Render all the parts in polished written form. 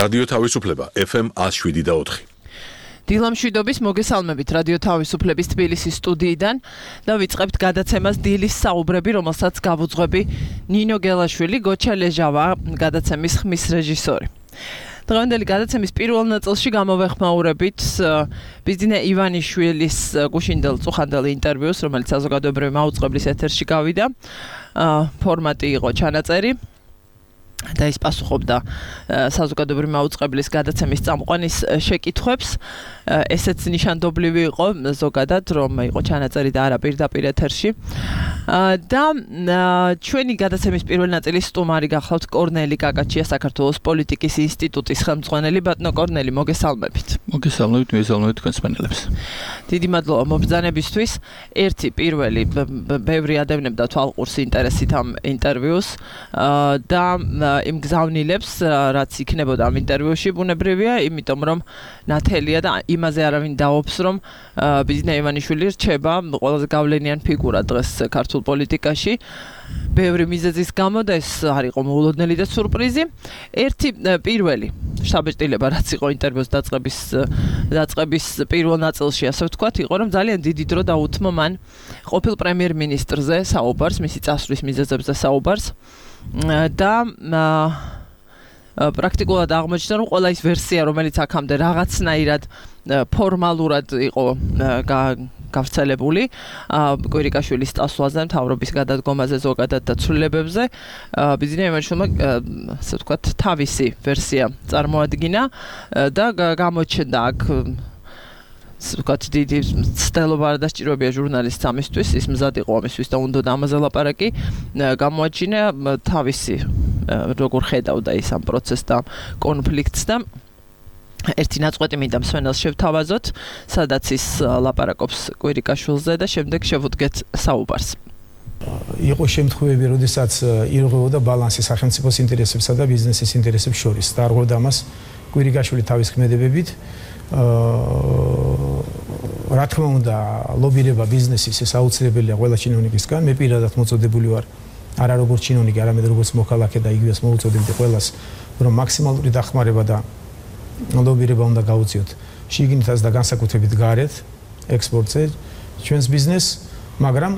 რადიო თავისუფლება FM 107.4. დილამშვიდობის მოგესალმებით რადიო თავისუფლების თბილისის სტუდიიდან და ვიწყებთ გადაცემას დილის საუბრები, რომელსაც გავუძღვები ნინო გელაშვილი, გოჩა ლეჟავა, გადაცემის ხმის რეჟისორი. დღევანდელი გადაცემის პირველ ნაწილში გამოვეხმაურებით ბიზნე ივანიშვილის გუშინდელ წუხანდელ ინტერვიუს, რომელიც საზოგადოებრივი მაუწყებლის ეთერში გავიდა. ფორმატი იყო ჩანაწერი. და ის პასუხობდა საზოგადოებრივი მაუწყებლის გადაცემის წამყვანის შეკითხვებს. ესეც ნიშანდობლივი იყო ზოგადად, რომ იყო ჩანაწერი და არა პირდაპირ ეთერში. და ჩვენი გადაცემის პირველი ნაწილის სტუმარი გახლავთ კორნელი კაკაჩია, საქართველოს პოლიტიკის ინსტიტუტის ხელმძღვანელი. ბატონო კორნელი, მოგესალმებით. მოგესალმებით, მოგესალმებით თქვენს პანელებს. დიდი მადლობა მობრძანებისთვის. ერთი პირველი ბევრი ადევნებდა თვალყურს ინტერესით ამ ინტერვიუს და იმ გზავნილებს, რაც იქნებოდა ამ ინტერვიუში, ბუნებრივია, იმიტომ რომ ნათელია და იმაზე არავინ დაობს, რომ ბიზნე ივანიშვილი რჩება ყველაზე გავლენიან ფიგურა დღეს ქართულ პოლიტიკაში. ბევრი მიზეზის გამო და ეს არ იყო მოულოდნელი და სურპრიზი. ერთი პირველი შთაბეჭდილება, რაც იყო ინტერვიუს დაწყების პირველ ნაწილში, ასე ვთქვათ, იყო, რომ ძალიან დიდი დრო დაუთმო მან ყოფილ პრემიერ-მინისტრზე საუბარს, მისი წასვლის მიზეზებზე საუბარს. და პრაქტიკულად აღმოჩნდა, რომ ყველა ის ვერსია, რომელიც აქამდე რაღაცნაირად ფორმალურად იყო გავრცელებული კვირიკაშვილის წასვლაზე, მთავრობის გადადგომაზე, ზოგადად და ცვლილებებზე, ბიზნე ივანიშვილმა, ასე ვთქვათ, თავისი ვერსია წარმოადგინა და გამოჩნდა აქ ვთქვათ, დიდი ცდელობა არ დასჭიროებია ჟურნალისტს ამისთვის, ის მზად იყო ამისთვის და უნდა ამაზე ლაპარაკი. გამოაჩინა თავისი როგორ ხედავდა ის ამ პროცესს და კონფლიქტს და ერთი ნაწყვეტი მინდა მსვენელს შევთავაზოთ, სადაც ის ლაპარაკობს კვირიკაშვილზე და შემდეგ შევუდგეთ საუბარს. იყო შემთხვევები, როდესაც ირღვეოდა ბალანსი სახელმწიფოს ინტერესებსა და ბიზნესის ინტერესებს შორის და არღვევდა ამას კვირიკაშვილი თავის ქმედებებით. რა თქმა უნდა, ლობირება ბიზნესის ეს აუცილებელია ყველა ჩინოვნიკისგან. მე პირადად მოწოდებული ვარ არა როგორც ჩინოვნიკი, არამედ როგორც მოქალაქე და იგივეს მოუწოდებდი ყველას, რომ მაქსიმალური დახმარება და ლობირება უნდა გაუწიოთ შიგნითაც და განსაკუთრებით გარეთ ექსპორტზე ჩვენს ბიზნესს, მაგრამ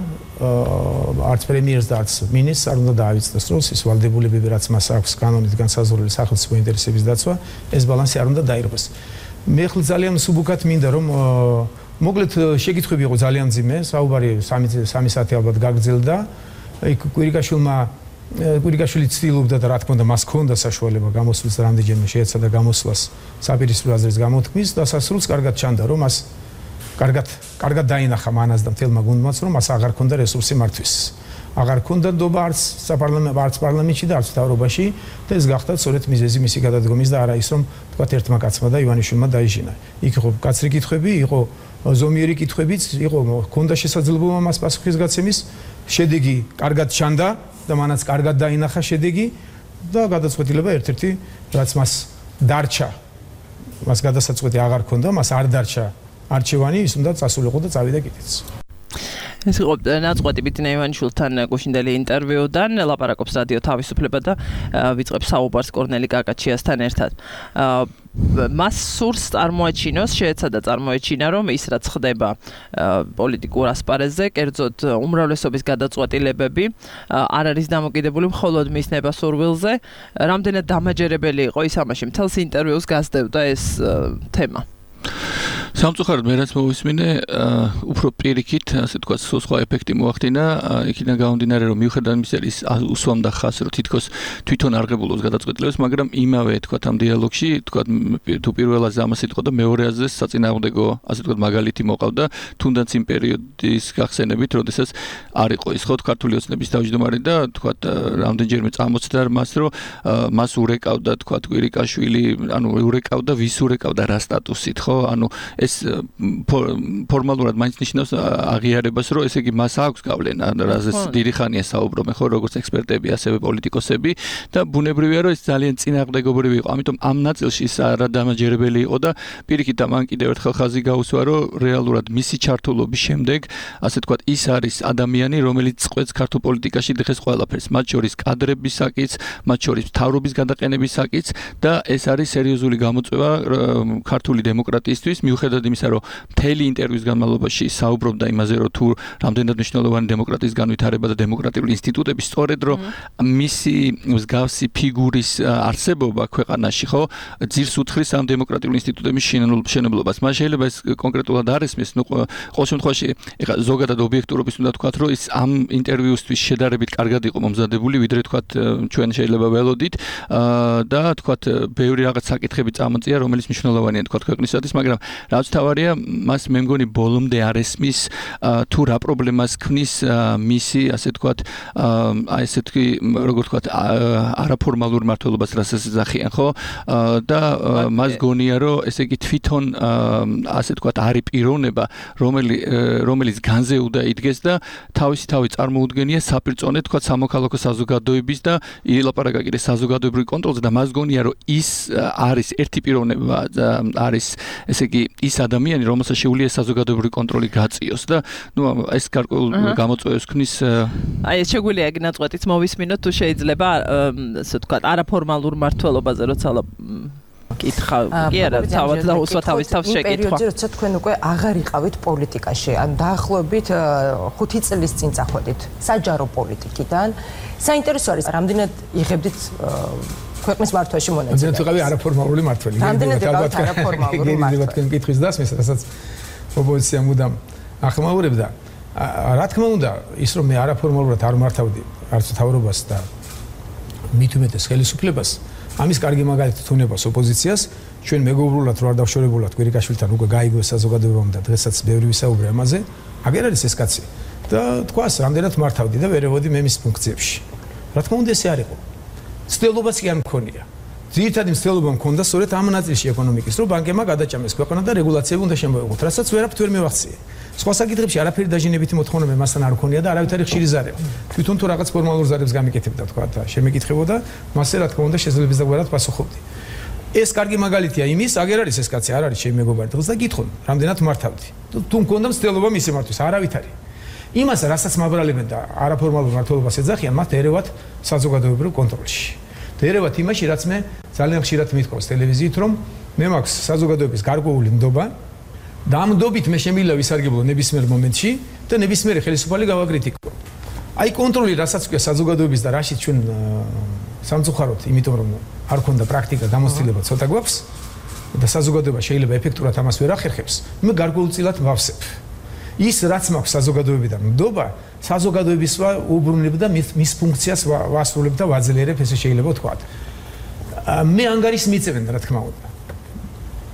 არც პრემიერს და არც მინისტრს არ უნდა დაავიწყდეს როლს ის ვალდებულებები, რაც მას აქვს კანონით განსაზღვრული სახელმწიფო ინტერესების დაცვა, ეს ბალანსი არ უნდა დაირღვეს. მე ხელ ძალიან მსუბუქად მინდა რომ მოკლედ შეკითხვები იყო ძალიან მძიმე, საუბარი 3 საათი ალბათ გაგრძელდა. კვირიკაშვილი ცდილობდა და რა თქმა უნდა მას ჰქონდა საშუალება გამოსვლის რამდენჯერმე შეეცადა გამოსვლას საპირისპირო აზრის გამოთქმის და სასრულს კარგად ჩანდა რომ მას კარგად დაინახა მანას და მთელმა გუნდმაც რომ მას აღარ ჰქონდა რესურსი მართვის. აღარ ჰქონდა ნდობა არც პარლამენტში და არც მთავრობაში და ეს გახდა სწორედ მიზეზი მისი გადადგომის და არა ის რომ თქვათ ერთმა კაცმა და ივანიშვილმა დაიჟინა. იქ იყო კაცრი კითხვები, იყო ზომიერი კითხვებიც, იყო ჰქონდა შესაძლებლობა მას პასუხის გაცემის, შედეგი კარგად ჩანდა და მანაც კარგად დაინახა შედეგი და გადაწყვეტილება ერთ-ერთი რაც მას დარჩა, მას გადასაწყვეტი აღარ ჰქონდა, მას არ დარჩა არჩევანი, ის უნდა წასულიყო და წავიდა კიდეც. ეს იყო ნაწყვეტი ბიზნე ივანიშვილთან გუშინდელი ინტერვიუდან, ლაპარაკობს რადიო თავისუფლება და ვიწყებს საუბარს კორნელი კაკაჩიასთან ერთად. მას სურს წარმოაჩინოს, შეეცადა წარმოეჩინა, რომ ის რაც ხდება პოლიტიკურ ასპარეზზე, კერძოდ უმრავლესობის გადაწყვეტილებები არ არის დამოკიდებული მხოლოდ მის ნებასურვილზე. რამდენად დამაჯერებელი იყო ის ამაში, მთელს ინტერვიუს გასდევდა ეს თემა. სამწუხაროდ მე რაც მოვისმინე, უფრო პირიქით, ასე თქვა, სხვა ეფექტი მოახდინა, იქიდან გამომდინარე, რომ მიუხედავად იმისა, ის უსვამდა ხაზს, რომ თითქოს თვითონ არღებულობს გადაწყვეტილებას, მაგრამ იმავე, თქვა, ამ დიალოგში, თქვა, თუ პირველაზე ამას იტყვა და მეორეაზე საწინააღმდეგო, ასე თქვა, მაგალითი მოყავდა, თუნდაც იმ პერიოდის გახსენებით, როდესაც არ იყო ის, ხო, ქართული ოცნების თავმჯდომარე და, თქვა, რამდენჯერმე წამოწდა მას, რომ მას урეკავდა, თქვა, კვირიკაშვილი, ანუ урეკავდა, ვის урეკავდა რა სტატუსით, ხო, ანუ ეს ფორმალურად მაინც ნიშნავს აღიარებას, რომ ესე იგი მას აქვს გავლენა, რაზეც დიდი ხანია საუბრობენ, ხო, როგორც ექსპერტები, ასევე პოლიტიკოსები და ბუნებრივია, რომ ეს ძალიან წინააღმდეგობრივი იყო. ამიტომ ამ ნაწილში ის არადამაჯერებელი იყო და პირიქით მან კიდევ ერთხელ ხაზი გაუსვა, რომ რეალურად მისი ჩართულობის შემდეგ, ასე თქვათ, ის არის ადამიანი, რომელიც წყვეტს ქართულ პოლიტიკაში დღეს ყველაფერს, მათ შორის კადრებისაკიც, მათ შორის მთავრობის გადაყენებისაკიც და ეს არის სერიოზული გამოწვევა ქართული დემოკრატიისთვის, მიუხედავად იმისა, რომ მთელი ინტერვიუს განმავლობაში საუბრობდა იმაზე, რომ თუ რამდენად მნიშვნელოვანი დემოკრატიის განვითარება და დემოკრატიული ინსტიტუტები, სწორედ რომ მისი მსგავსი ფიგურის არსებობა ქვეყანაში, ხო, ძირს უთხრის ამ დემოკრატიული ინსტიტუტების შენებლობას. მას შეიძლება ეს კონკრეტულად არ ესმის, ნუ ყოველ შემთხვევაში, ეხლა ზოგადად ობიექტურობის უნდა თქვათ, რომ ის ამ ინტერვიუსთვის შედარებით კარგად იყო მომზადებული, ვიდრე თქვათ ჩვენ შეიძლება ველოდით და თქვათ ბევრი რაღაც საკითხები წამოწია, რომელიც მნიშვნელოვანია თქვათ ქვეყნისათვის, მაგრამ რაც თავარია, მას მე მგონი ბოლომდე არ ესმის თუ რა პრობლემას ქმნის მისი, ასე თქვათ, აი ესე თქვი, როგორ თქვათ, არაფორმალურ მმართველობას რასაც ეძახიან, ხო? და მას გონია, რომ ესე იგი თვითონ ასე თქვათ, არის პიროვნება, რომელიც განზე უნდა იდგეს და თავისი თავი წარმოუდგენია საპირწონე თქვათ სამოქალაქო საზოგადოების და ილაპარაკა კიდე საზოგადოებრივ კონტროლზე და მას გონია, რომ ის არის ერთი პიროვნება, არის ესე იგი ის ადამიანი, რომელსაც შეუძლია საზოგადოებრივი კონტროლი გაწიოს და ნუ ეს გარკვეულ გამოწვევებს ქმნის. აი ეს შეგვიძლია ეგ ნაწყვეტიც მოვისმინოთ, თუ შეიძლება ასე ვთქვათ, არაფორმალურ მმართველობაზე როცა კითხავ, კი არა, თავად დაუსვა თავის თავს შეკითხვა. პერიოდში როცა თქვენ უკვე აღარ იყავით პოლიტიკაში, ან დაახლოებით 5 წლის წინ წახვედით საჯარო პოლიტიკიდან, საინტერესო არის, რამდენად იღებდით ქვეყნის მართვაში მონაწილეობას. რამდენად ვიყავი არაფორმალური მმართველი. რამდენად ვიყავით არაფორმალური მმართველი. თქვენ კითხვის დასმის, რასაც ოპოზიცია მუდამ ახმაურებდა. რა თქმა უნდა, ის რომ მე არაფორმალურად არ მართავდი არც მთავრობას და მით უმეტეს ხელისუფლებას, ამის კარგი მაგალითი თუნებას ოპოზიციას, ჩვენ მეგობრულად რო არ დავშორებულად კვირიკაშვილთან უკვე გაიგო საზოგადოებამ და დღესაც ბევრი ვისაუბრე ამაზე, აგერ არის ეს კაცი და თქვას, რამდენად მართავდი და ვერევოდი მე მის ფუნქციებში. რა თქმა უნდა, ესე არ იყო. ცდილობაც კი არ მქონია. ძირითადი მცდელობა მქონდა სწორედ ამ ნაწილში ეკონომიკის, რომ ბანკებმა გადაჭამეს ქვეყანა და რეგულაციები უნდა შემოეღოთ, რასაც ვერაფრით ვერ მივახციე. სხვა საკითხებში არაფერი დაჟინებითი მოთხოვნა მასთან არ მქონია და არავითარი ხშირი ზარება. თვითონ თუ რაღაც ფორმალურ ზარებს გამიკეთებდა, თქვა და შემეკითხებოდა, მასე რა თქმა უნდა შესაძლებლობის დაგვარად პასუხობდი. ეს კარგი მაგალითია იმის, აგერ არის ეს კაცი, არ არის ჩემი მეგობარი დღეს და გითხონ, რამდენად მართავდი. თუ მქონდა მცდელობა მისი მართვის, არავითარი. იმას, რასაც მაბრალებენ და არაფორმალურ მმართველობას ეძახიან, მათ ერევათ საზოგადოებრივ კონტროლში. ერევათ იმაში, რაც მე ძალიან ხშირად მithყავს ტელევიზიით, რომ მე მაქვს საზოგადოების გარკვეული ნდობა და ამ ნდობით მე შემიძლია ვისარგებლო ნებისმიერ მომენტში და ნებისმიერი ხელისუფალი გავაკრიტიკო. აი კონტროლი, რასაც ქვია საზოგადოების და რაშიც ჩვენ სამწუხაროდ, იმიტომ რომ არ ქონდა პრაქტიკა, გამოცდილება ცოტა გვაქვს და საზოგადოება შეიძლება ეფექტურად ამას ვერ ახერხებს, მე გარკვეულწილად ვავსებ. ის რაც მაქვს საზოგადოებიდან ნდობა, საზოგადოების უბრუნებ და მის ფუნქციას ვასრულებ და ვაძლიერებ, ესე შეიძლება ვთქვათ. მე ანგარის მიწევენ, რა თქმა უნდა.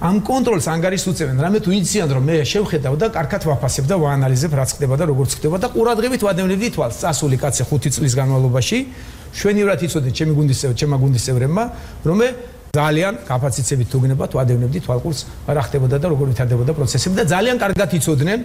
ამ კონტროლს ანგარის უწევენ, რამე თუ იციან, რომ მე შევხედავ და კარგად ვაფასებ და ვაანალიზებ, რაც ხდება და როგორც ხდება და ყურადღებით ვადევნებდი თვალს. წასული კაცი 5 წლის განმავლობაში შვენივრად იცოდნენ ჩემი გუნდის წევრებმა, რომ მე ძალიან კაპაციტეტებით თუ გნებათ ვადევნებდი თვალყურს, რა ხდებოდა და როგორ ვითარდებოდა პროცესები და ძალიან კარგად იცოდნენ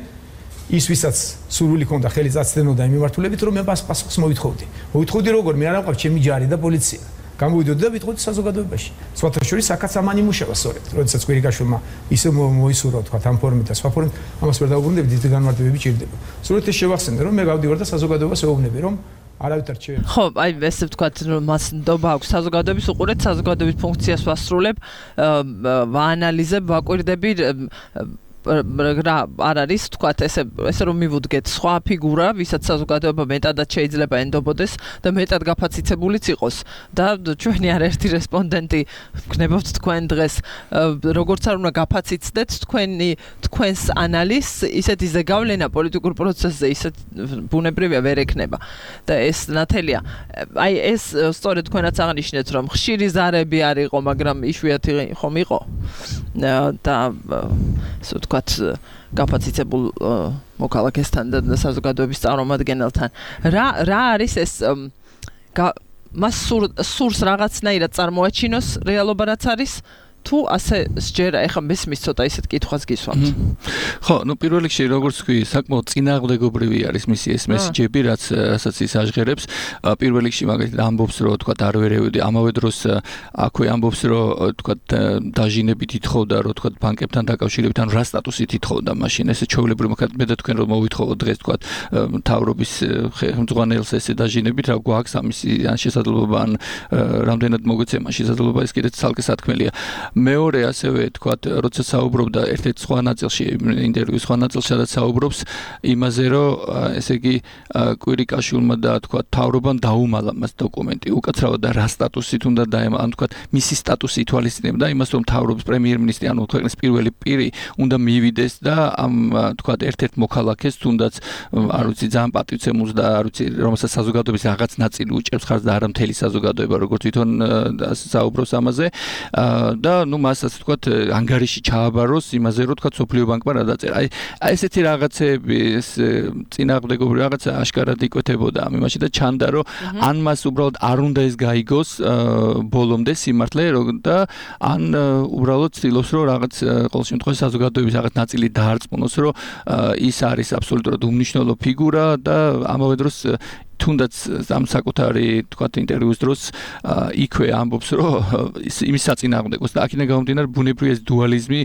ის ვისაც სურვილი ჰქონდა ხელი წაცდენოდა იმ მიმართულებით, რომ მე პასუხს მოვითხოვდი. მოვითხოვდი როგორ მე არ ამყავ ჩემი ჯარი და პოლიცია. გამოვიდოდი და ვიტყოდი საზოგადოებაში. სხვათა შორის აქაც ამან იმუშავა სწორედ. როდესაც კვირიკაშვილმა ისე მოისურვა თქვა ამ ფორმით და სხვა ფორმით, ამას ვერ დაუბრუნდები, დიდი განმარტებები ჭირდება. სწორედ ეს შევახსენე, რომ მე გავდივარ და საზოგადოებას ვეუბნები, რომ არავითარ չէ. ხო, აი ესე ვთქვათ, რომ მას ნდობა აქვს საზოგადოების უყურეთ, საზოგადოების ფუნქციას ვასრულებ, ვაანალიზებ, ვაკვირდები რა არ არის თქვათ ესე რომ მივუდგეთ სხვა ფიგურა, ვისაც საზოგადოება მეტადად შეიძლება ენდობოდეს და მეტად გაფაციცებულიც იყოს და ჩვენი არაერთი რესპონდენტი გნებავთ თქვენ დღეს როგორც არ უნდა გაფაციცდეთ თქვენს ანალიზს, ისეთი ზეგავლენა პოლიტიკურ პროცესზე ისეთ ბუნებრივია ვერ ექნება და ეს ნათელია. აი ეს სწორედ თქვენაც აღნიშნეთ, რომ ხშირი ზარები არ იყო, მაგრამ იშვიათი ხომ იყო და ვთქვათ გაფაციცებულ მოქალაქესთან და საზოგადოების წარმომადგენელთან. რა არის ეს მას სურს რაღაცნაირად წარმოაჩინოს რეალობა რაც არის თუ ასე სჯერა, ეხლა მესმის ცოტა ისეთ კითხვას გისვამთ. ხო, პირველ რიგში როგორც ვთქვი, საკმაოდ წინააღმდეგობრივი არის მისი ეს მესიჯები, რასაც ის აჟღერებს. პირველ რიგში მაგალითად ამბობს, რომ თქვა არ ვერევდი, ამავე დროს აქვე ამბობს, რომ თქვა დაჟინებით ითხოვდა, რომ თქვა ბანკებთან დაკავშირებით, ანუ რა სტატუსით ითხოვდა მაშინ. ესე ჩვეულებრივ მაგათ მე და თქვენ რომ მოვითხოვოთ დღეს თქვა მთავრობის ხელმძღვანელს ესე დაჟინებით, რა გვაქვს ამისი ან შესაძლებლობა ან რამდენად მოგვეცემა შესაძლებლობა ეს კიდეც ცალკე სათქმელია. მეორე ასევე თქვა, როცა საუბრობდა ერთ-ერთ სხვა ნაწილში, ინტერვიუს სხვა ნაწილში, სადაც საუბრობს იმაზე, რომ ესე იგი კვირიკაშვილმა და თქვა მთავრობამ დაუმალა მას დოკუმენტი. უკაცრავად და რა სტატუსით უნდა დაემალა, ან თქვა მისი სტატუსი ითვალისწინებდა იმას, რომ მთავრობის პრემიერ-მინისტრი, ანუ ქვეყნის პირველი პირი უნდა მივიდეს და ამ თქვა ერთ-ერთ მოქალაქეს, თუნდაც არ ვიცი ძალიან პატივცემულს და არ ვიცი რომელსაც საზოგადოების რაღაც ნაწილი უჭერს ხარს და არა მთელი საზოგადოება, როგორც თვითონ საუბრობს ამაზე. და მას ასე თქვა ანგარიში ჩააბაროს იმაზე, რომ თქვა სოფლიო ბანკმა რა დაწერა. აი ესეთი რაღაცები, ეს წინააღმდეგობრივი რაღაცა აშკარად იკვეთებოდა ამ იმაში და ჩანდა, რომ ან მას უბრალოდ არ უნდა ეს გაიგოს ბოლომდე სიმართლე და ან უბრალოდ ცდილობს, რომ რაღაც ყოველ შემთხვევაში საზოგადოების რაღაც ნაწილი დაარწმუნოს, რომ ის არის აბსოლუტურად უმნიშვნელო ფიგურა და ამავე დროს თუნდაც ამ საკუთარი თქვათ ინტერვიუს დროს იქვე ამბობს, რომ იმის საწინააღმდეგოს და აქედან გამომდინარე ბუნებრივი ეს დუალიზმი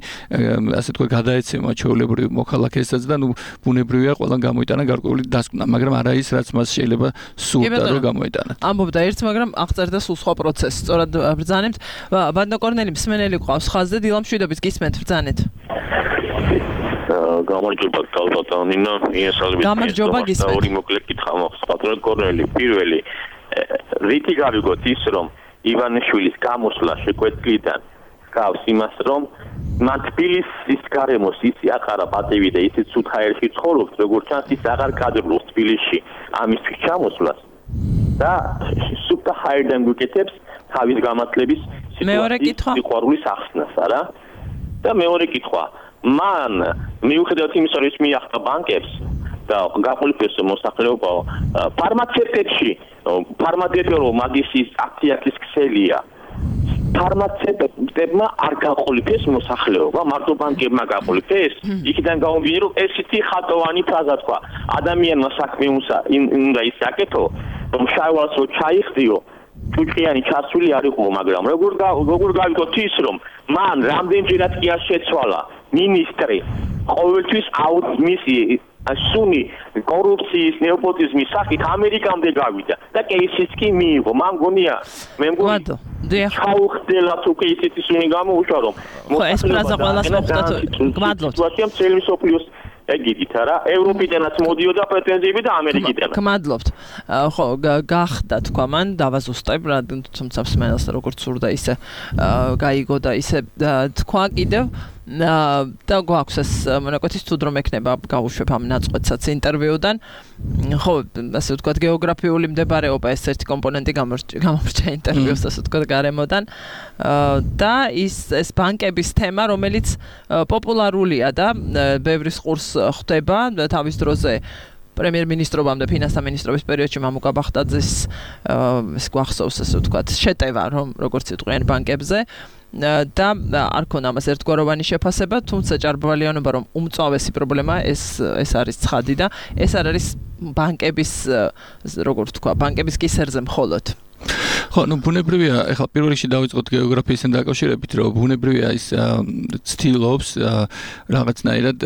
ასე თქვა გადაეცემა ჩვეულებრივ მოქალაქესაც და ბუნებრივია ყველან გამოიტანა გარკვეული დასკვნა, მაგრამ არა ის რაც მას შეიძლება სურდა რომ გამოიტანა. ამბობდა ერთ, მაგრამ აღწერდა სულ სხვა პროცესს. სწორად ბრძანებთ. ბანდო კორნელი მსმენელი ყავს ხაზზე, დილამშვიდობით გისმენთ, ბრძანეთ. გამარჯობა თალბატონინა, იესალმებით. გამარჯობა გისმენთ. ორი მოკლე კითხვა მაქვს. ბატონო კორნელი, პირველი რითი გავიგოთ ის, რომ ივანიშვილის გამოსვლა შეკვეთილიდან გავს იმას, რომ მან თბილისის გარემოს ისი აყარა პატივი და ისიც სუთხაერში ცხოვრობს, როგორც ჩანს ის აღარ გადრლობს თბილისში ამისთვის ჩამოსვლას და სუთხაერიდან გვიკეთებს თავის გამართლების სიყვარულის ახსნას, არა? და მეორე კითხვა მან მიუხედავად იმისა, რომ ის მიახდა ბანკებს და გაყოლიფეს მოსახლეობა ფარმაცევტებში მაგისის აქტიაკის ქსელია ფარმაცევტებმა არ გაყოლიფეს მოსახლეობა, მარტო ბანკებმა გაყოლიფეს. იქიდან გამომდინარე, რომ ესეთი ხატოვანი ფრაზა თქვა ადამიანმა საქმე უნდა ისაკეთო, რომ შაივალს რო ჩაიხდიო ჭუჭყიანი ჩასული არ იყო, მაგრამ როგორ გავიგოთ ის, რომ მან რამდენჯერად კი არ შეცვალა მინისტრი ყოველთვის მისი სუნი კორუფციის ნეოპოტიზმის სახით ამერიკამდე გავიდა და კეისიც კი მიიღო. მან გონია მე მგონი ჩაუხდელათ უკვე ისეთი სუნი გამოუშვა, რომ ეს ფრაზა ყველას მოხდათ. გმადლობთ. ვაშიამ წელი სოფლიოს ეგიდით არა ევროპიდანაც მოდიოდა პრეტენზიები და ამერიკიდანაც. გმადლობთ. ხო, გახდა თქვა მან დავაზუსტებ რა, თუმცა მსმენელს როგორც სურდა ისე გაიგო და ისე თქვა კიდევ და გვაქვს ეს მონაკვეთის თუ დრო მექნება გავუშვებ ამ ნაწყვეტსაც ინტერვიუდან. ხო, ასე ვთქვათ გეოგრაფიული მდებარეობა ეს ერთი კომპონენტი გამორჩა ინტერვიუს ასე ვთქვათ გარემოდან და ეს ბანკების თემა, რომელიც პოპულარულია და ბევრის ყურს ხვდება თავის დროზე პრემიერ-მინისტრობამდე ფინანსთა მინისტრობის პერიოდში მამუკა ბახტაძის ეს გვახსოვს ასე ვთქვათ შეტევა, რომ როგორც იტყვიან ბანკებზე და არ ქონა ამას ერთგვაროვანი შეფასება, თუმცა ჭარბვალიანობა რომ უმწვავესი პრობლემა ეს არის ცხადი და ეს არ არის ბანკების როგორ ვთქვა, ბანკების კისერზე მხოლოდ. ხო, ბუნებრივია, ეხლა პირველ რიგში დავიწყოთ გეოგრაფიასთან დაკავშირებით, რომ ბუნებრივია ის ცდილობს რაღაცნაირად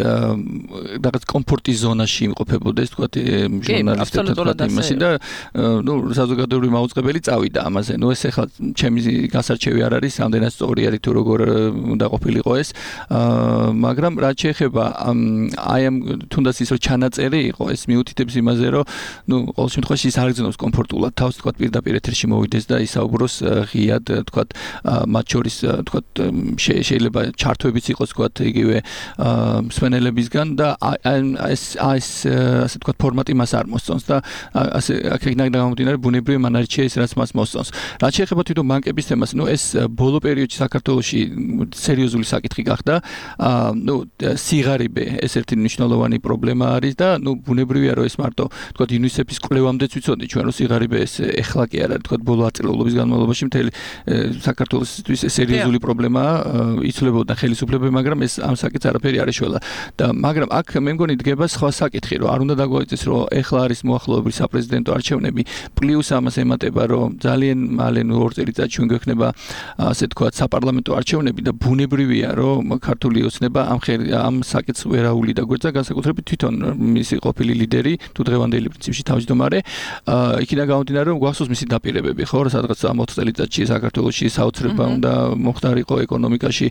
რაღაც კომფორტის ზონაში იმყოფებოდეს, თქვათ ჟურნალისტებთან იმასი და საზოგადოებრივი მაუწყებელი წავიდა ამაზე. ეს ეხლა ჩემი გასარჩევი არ არის, ამდენად სწორი არის თუ როგორ უნდა ყოფილიყო ეს, მაგრამ რაც შეეხება აი ამ თუნდაც ის რომ ჩანაწერი იყო, ეს მიუთითებს იმაზე, რომ ყოველ შემთხვევაში ის არ გძნობს კომფორტულად თავს, თქვათ პირდაპირ ეთერში მოვიდეს და ისაუბროს ღიად, თქვათ, მათ შორის, თქვათ, შეიძლება ჩართვებიც იყოს, თქვათ, იგივე მსმენელებისგან და ეს ასე თქვათ ფორმატი მას არ მოსწონს და ასე აქედან გამომდინარე ბუნებრივი მან არჩია ის რაც მას მოსწონს. რაც შეეხება თვითონ ბანკების თემას, ეს ბოლო პერიოდში საქართველოში სერიოზული საკითხი გახდა. სიღარიბე ეს ერთი მნიშვნელოვანი პრობლემა არის და ბუნებრივია რომ ეს მარტო თქვათ იუნისეფის კვლევამდეც ვიცოდით ჩვენ რომ სიღარიბე ეს ეხლა კი არა თქვათ ბოლო დღესდღეობის განმავლობაში მთელი საქართველოსთვის სერიოზული პრობლემაა იცვლებოდა ხელისუფლებები, მაგრამ ეს ამ საკითხს არაფერი არ ეშველა და მაგრამ აქ მე მგონი დგება სხვა საკითხი, რომ არ უნდა დაგვაიწეს, რომ ეხლა არის მოახლოებული საპრეზიდენტო არჩევნები, პლუს ამას ემატება, რომ ძალიან მალე 2 წელიწადში ჩვენ გვექნება ასე თქვა საპარლამენტო არჩევნები და ბუნებრივია, რომ ქართული ოცნება ამ საკითხს ვერაული დაგვეცა, განსაკუთრებით თვითონ მისი ყოფილი ლიდერი, თუ დღევანდელი პრინციპში თავმჯდომარე, იქიდან გამომდინარე, რომ გვახსოვს მისი დაპირებები, ხო, სადღაც 4 წელიწადში საქართველოში საოცრება უნდა მოხდარიყო ეკონომიკაში,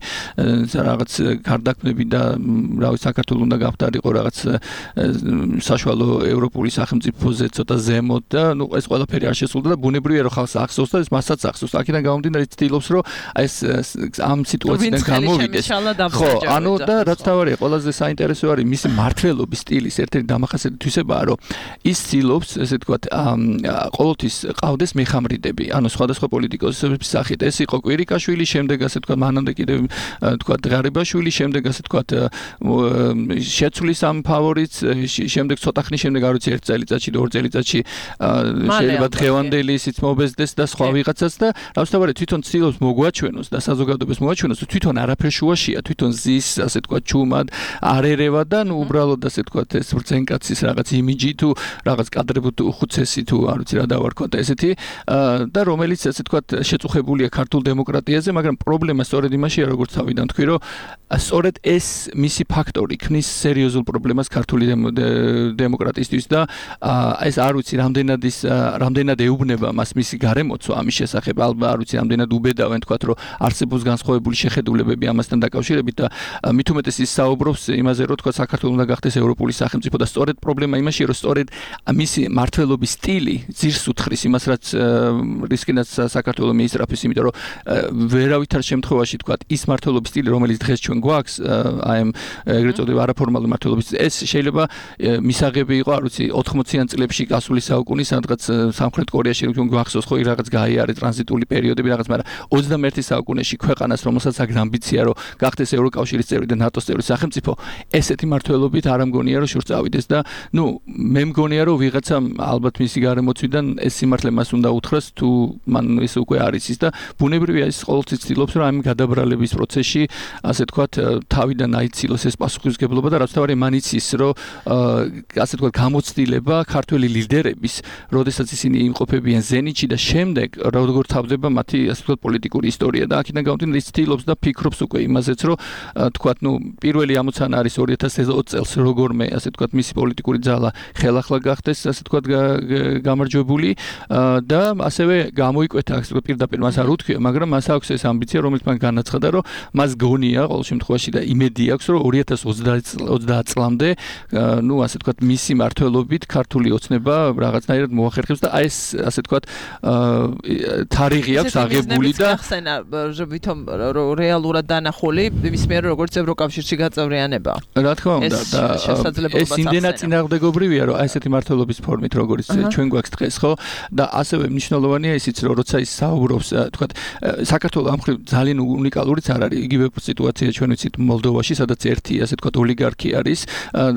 რაღაც გარდაქმნები და რავი საქართველოს უნდა გავხდარიყო რაღაც საშუალო ევროპული სახელმწიფოზე ცოტა ზემოთ და ნუ ეს ყველაფერი არ შესულდა და ბუნებრივია, რომ ხალხს ახსოვს და ეს მასაც ახსოვს. აქედან გამომდინარე ცდილობს, რომ ეს ამ სიტუაციიდან გამოვიდეს. ხო, ანუ და რაც თავარია, ყველაზე საინტერესო არის მისი მართლობის სტილის ერთ-ერთი დამახასიათებაა, რომ ის ცდილობს, ესე ვთქვათ, ყოველთვის ყავდეს მეხამრიდები, ანუ სხვადასხვა პოლიტიკოსების სახით. ეს იყო კვირიკაშვილი, შემდეგ ასე ვთქვათ, მანამდე კიდევ ვთქვათ, ღარიბაშვილი, შემდეგ ასე ვთქვათ, შეცვლის ამ ფავორიტს, შემდეგ ცოტა ხნის შემდეგ არ ვიცი 1 წელიწადში, 2 წელიწადში შეიძლება დღევანდელი ისიც მობეზდეს და სხვა ვიღაცას და რასთავარი თვითონ ცდილობს მოგვაჩვენოს და საზოგადოებას მოაჩვენოს, რომ თვითონ არაფერ შუაშია, თვითონ ზის, ასე ვთქვათ, ჩუმად არ ერევა და ნუ უბრალოდ ასე ვთქვათ, ეს ბრძენკაცის რაღაც იმიჯი თუ რაღაც კადრები თუ ხუცესი თუ არ ვიცი რა დავარქვა და ესეთი და რომელიც ასე ვთქვათ, შეწუხებულია ქართულ დემოკრატიაზე, მაგრამ პრობლემა სწორედ იმაშია, როგორც თავიდან თქვი, რომ სწორედ ეს მისი ფაქტორი ქმნის სერიოზულ პრობლემას ქართული დემოკრატიისთვის და ეს არ ვიცი რამდენად ეუბნება მას მისი გარემოცვა ამის შესახებ, ალბათ არ ვიცი რამდენად უბედავენ თქვათ, რომ არსებობს განსხვავებული შეხედულებები ამასთან დაკავშირებით და მით უმეტეს ის საუბრობს იმაზე, რომ თქვათ საქართველოს უნდა გახდეს ევროპული სახელმწიფო და სწორედ პრობლემა იმაშია, რომ სწორედ მისი მართლობის სტილი ძირს უთხრის იმას, რაც რისკინაც საქართველოს მიისწრაფის, იმიტომ რომ ვერავითარ შემთხვევაში თქვათ ის მართლობის სტილი, რომელიც დღეს ჩვენ გვაქვს, აი ამ ეგრეთ წოდებული არაფორმალური მართლობის, ეს შეიძლება მისაღები იყო, არ ვიცი 80-იან წლებში გასული საუკუნის სადღაც სამხრეთ კორეაში რომ გვახსოვს ხო რაღაც გაიარე ტრანზიტული პერიოდები რაღაც, მაგრამ 21 საუკუნეში ქვეყანას, რომელსაც აქვს ამბიცია, რომ გახდეს ევროკავშირის წევრი და ნატოს წევრი სახელმწიფო, ესეთი მართლობით არ ამგონია, რომ შურს წავიდეს და ნუ მე მგონია, რომ ვიღაცამ ალბათ მისი გარემოცვიდან ეს სიმართლე მას უნდა უთხრას, თუ მან ეს უკვე არის ის და ბუნებრივია ის ყოველთვის ცდილობს, რომ ამ გადაბრალების პროცესში ასე თქვათ, თავიდან აიცილოს ეს პასუხისმგებლობა და რაც თავარი მან იცის, რომ ასე თქვათ, გამოცდილება ქართველი ლიდერების, როდესაც ისინი იმყოფებიან ზენიტში და შემდეგ როგორ თავდება მათი ასე თქვათ პოლიტიკური ისტორია და აქედან გამომდინარე ის ცდილობს და ფიქრობს უკვე იმაზეც, რომ თქვათ, ნუ პირველი ამოცანა არის 2020 წელს როგორმე ასე თქვათ მისი პოლიტიკური ძალა ხელახლა გახდეს ასე თქვათ გამარჯვებული და ასევე გამოიკვეთა ასე თქვათ პირდაპირ მას არ უთქვია, მაგრამ მას აქვს ეს ამბიცია, რომელიც მან განაცხადა, რომ მას გონია ყოველ შემთხვევაში და იმედი აქვს, რომ 2030 წლამდე ნუ ასე თქვათ მისი მართლობით ქართული ოცნება რაღაცნაირად მოახერხებს და აი ეს ასე თქვათ თარიღი აქვს აღებული და ვითომ რეალურად დანახული მის მიერ როგორც ევროკავშირში გაწევრიანება. რა თქმა უნდა და ეს იმდენად წინააღმდეგობრივია, რომ აი ესეთი მართლობის ფორმით როგორც ჩვენ გვაქვს დღეს, ხო? და ასევე მნიშვნელოვანია ისიც, რომ როცა ის საუბრობს, თქვათ, საქართველოს ამ მხრივ ძალიან უნიკალურიც არ არის. იგივე სიტუაცია ჩვენ ვიცით მოლდოვაში, სადაც ერთი ასე თქვათ ოლიგარქი არის,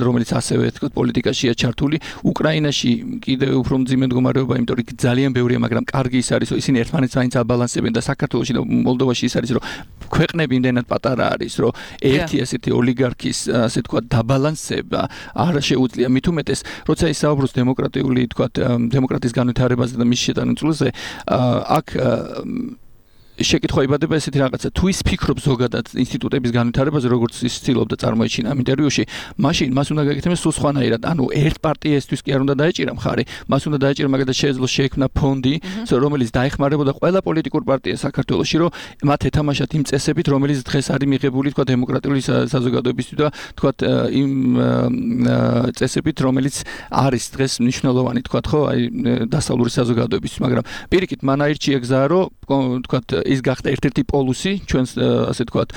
რომელიც ასევე თქვათ პოლიტიკაშია ჩართული. უკრაინაში კიდევ უფრო მძიმე მდგომარეობა, იმიტომ რომ ძალიან ბევრია, მაგრამ კარგი ის არის, რომ ისინი ერთმანეთს მაინც აბალანსებენ და საქართველოში და მოლდოვაში ის არის, რომ ქვეყნები იმდენად პატარა არის, რომ ერთი ასეთი ოლიგარქის ასე თქვათ დაბალანსება არ შეუძლია. მით უმეტეს, როცა ის საუბრობს დემოკრატიული თქვათ დემოკრატიის განვითარებაზე და მის შეტანილზე, აქ შეკითხვა იბადება ესეთი რაღაცა, თუ ის ფიქრობს ზოგადად ინსტიტუტების განვითარებაზე, როგორც ის ცდილობდა წარმოეჩინა ამ ინტერვიუში, მაშინ მას უნდა გაკეთებდეს სულ სხვანაირად. ანუ ერთ პარტიისთვის კი არ უნდა დაეჭირა მხარი, მას უნდა დაეჭირა მაგალითად შეეძლო შეექმნა ფონდი, რომელიც დაეხმარებოდა ყველა პოლიტიკურ პარტიას საქართველოში, რომ მათ ეთამაშათ იმ წესებით, რომელიც დღეს არის მიღებული თქვა დემოკრატიული საზოგადოებისთვის და თქვა იმ წესებით, რომელიც არის დღეს მნიშვნელოვანი თქვა ხო, აი დასავლური საზოგადოებისთვის, მაგრამ პირიქით მან აირჩია გზა, რომ თქვა ის გახდა ერთ-ერთი პოლუსი ჩვენს ასე ვთქვათ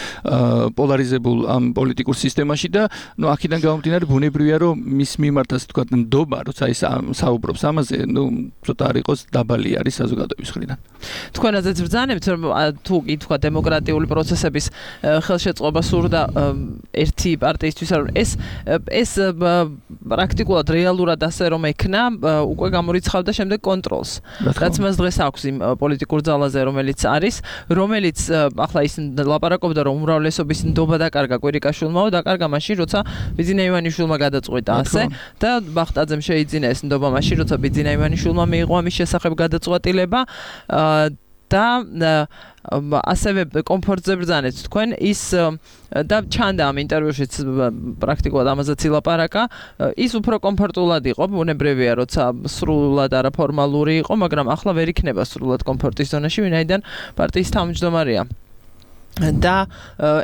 პოლარიზებულ ამ პოლიტიკურ სისტემაში და ნუ აქედან გამომდინარე ბუნებრივია რომ მის მიმართ ასე ვთქვათ ნდობა როცა ის საუბრობს ამაზე ნუ ცოტა არ იყოს დაბალი არის საზოგადოების მხრიდან თქვენაზეც ბრძანებთ რომ თუ კი თქვა დემოკრატიული პროცესების ხელშეწყობა სურდა ერთი პარტიისთვის რომ ეს პრაქტიკულად რეალურად ასე რომ ექნა უკვე გამორიცხავდა შემდეგ კონტროლს რაც მას დღეს აქვს იმ პოლიტიკურ ძალაზე რომელიც ახლა ის ლაპარაკობდა რომ უმრავლესობის ნდობა დაკარგა კვირიკაშვილმაო დაკარგა მაშინ როცა ბიძინა ივანიშვილმა გადაწყვიტა ასე და ბახტაძემ შეიძინა ეს ნდობა მაშინ როცა ბიძინა ივანიშვილმა მიიღო ამის შესახებ გადაწყვეტილება და ასევე კომფორტზე ბრძანეთ თქვენ ის და ჩანდა ამ ინტერვიუშიც პრაქტიკულად ამაზეც ილაპარაკა ის უფრო კომფორტულად იყო ბუნებრივია როცა სრულად არაფორმალური იყო მაგრამ ახლა ვერ იქნება სრულად კომფორტის ზონაში ვინაიდან პარტიის თავმჯდომარეა და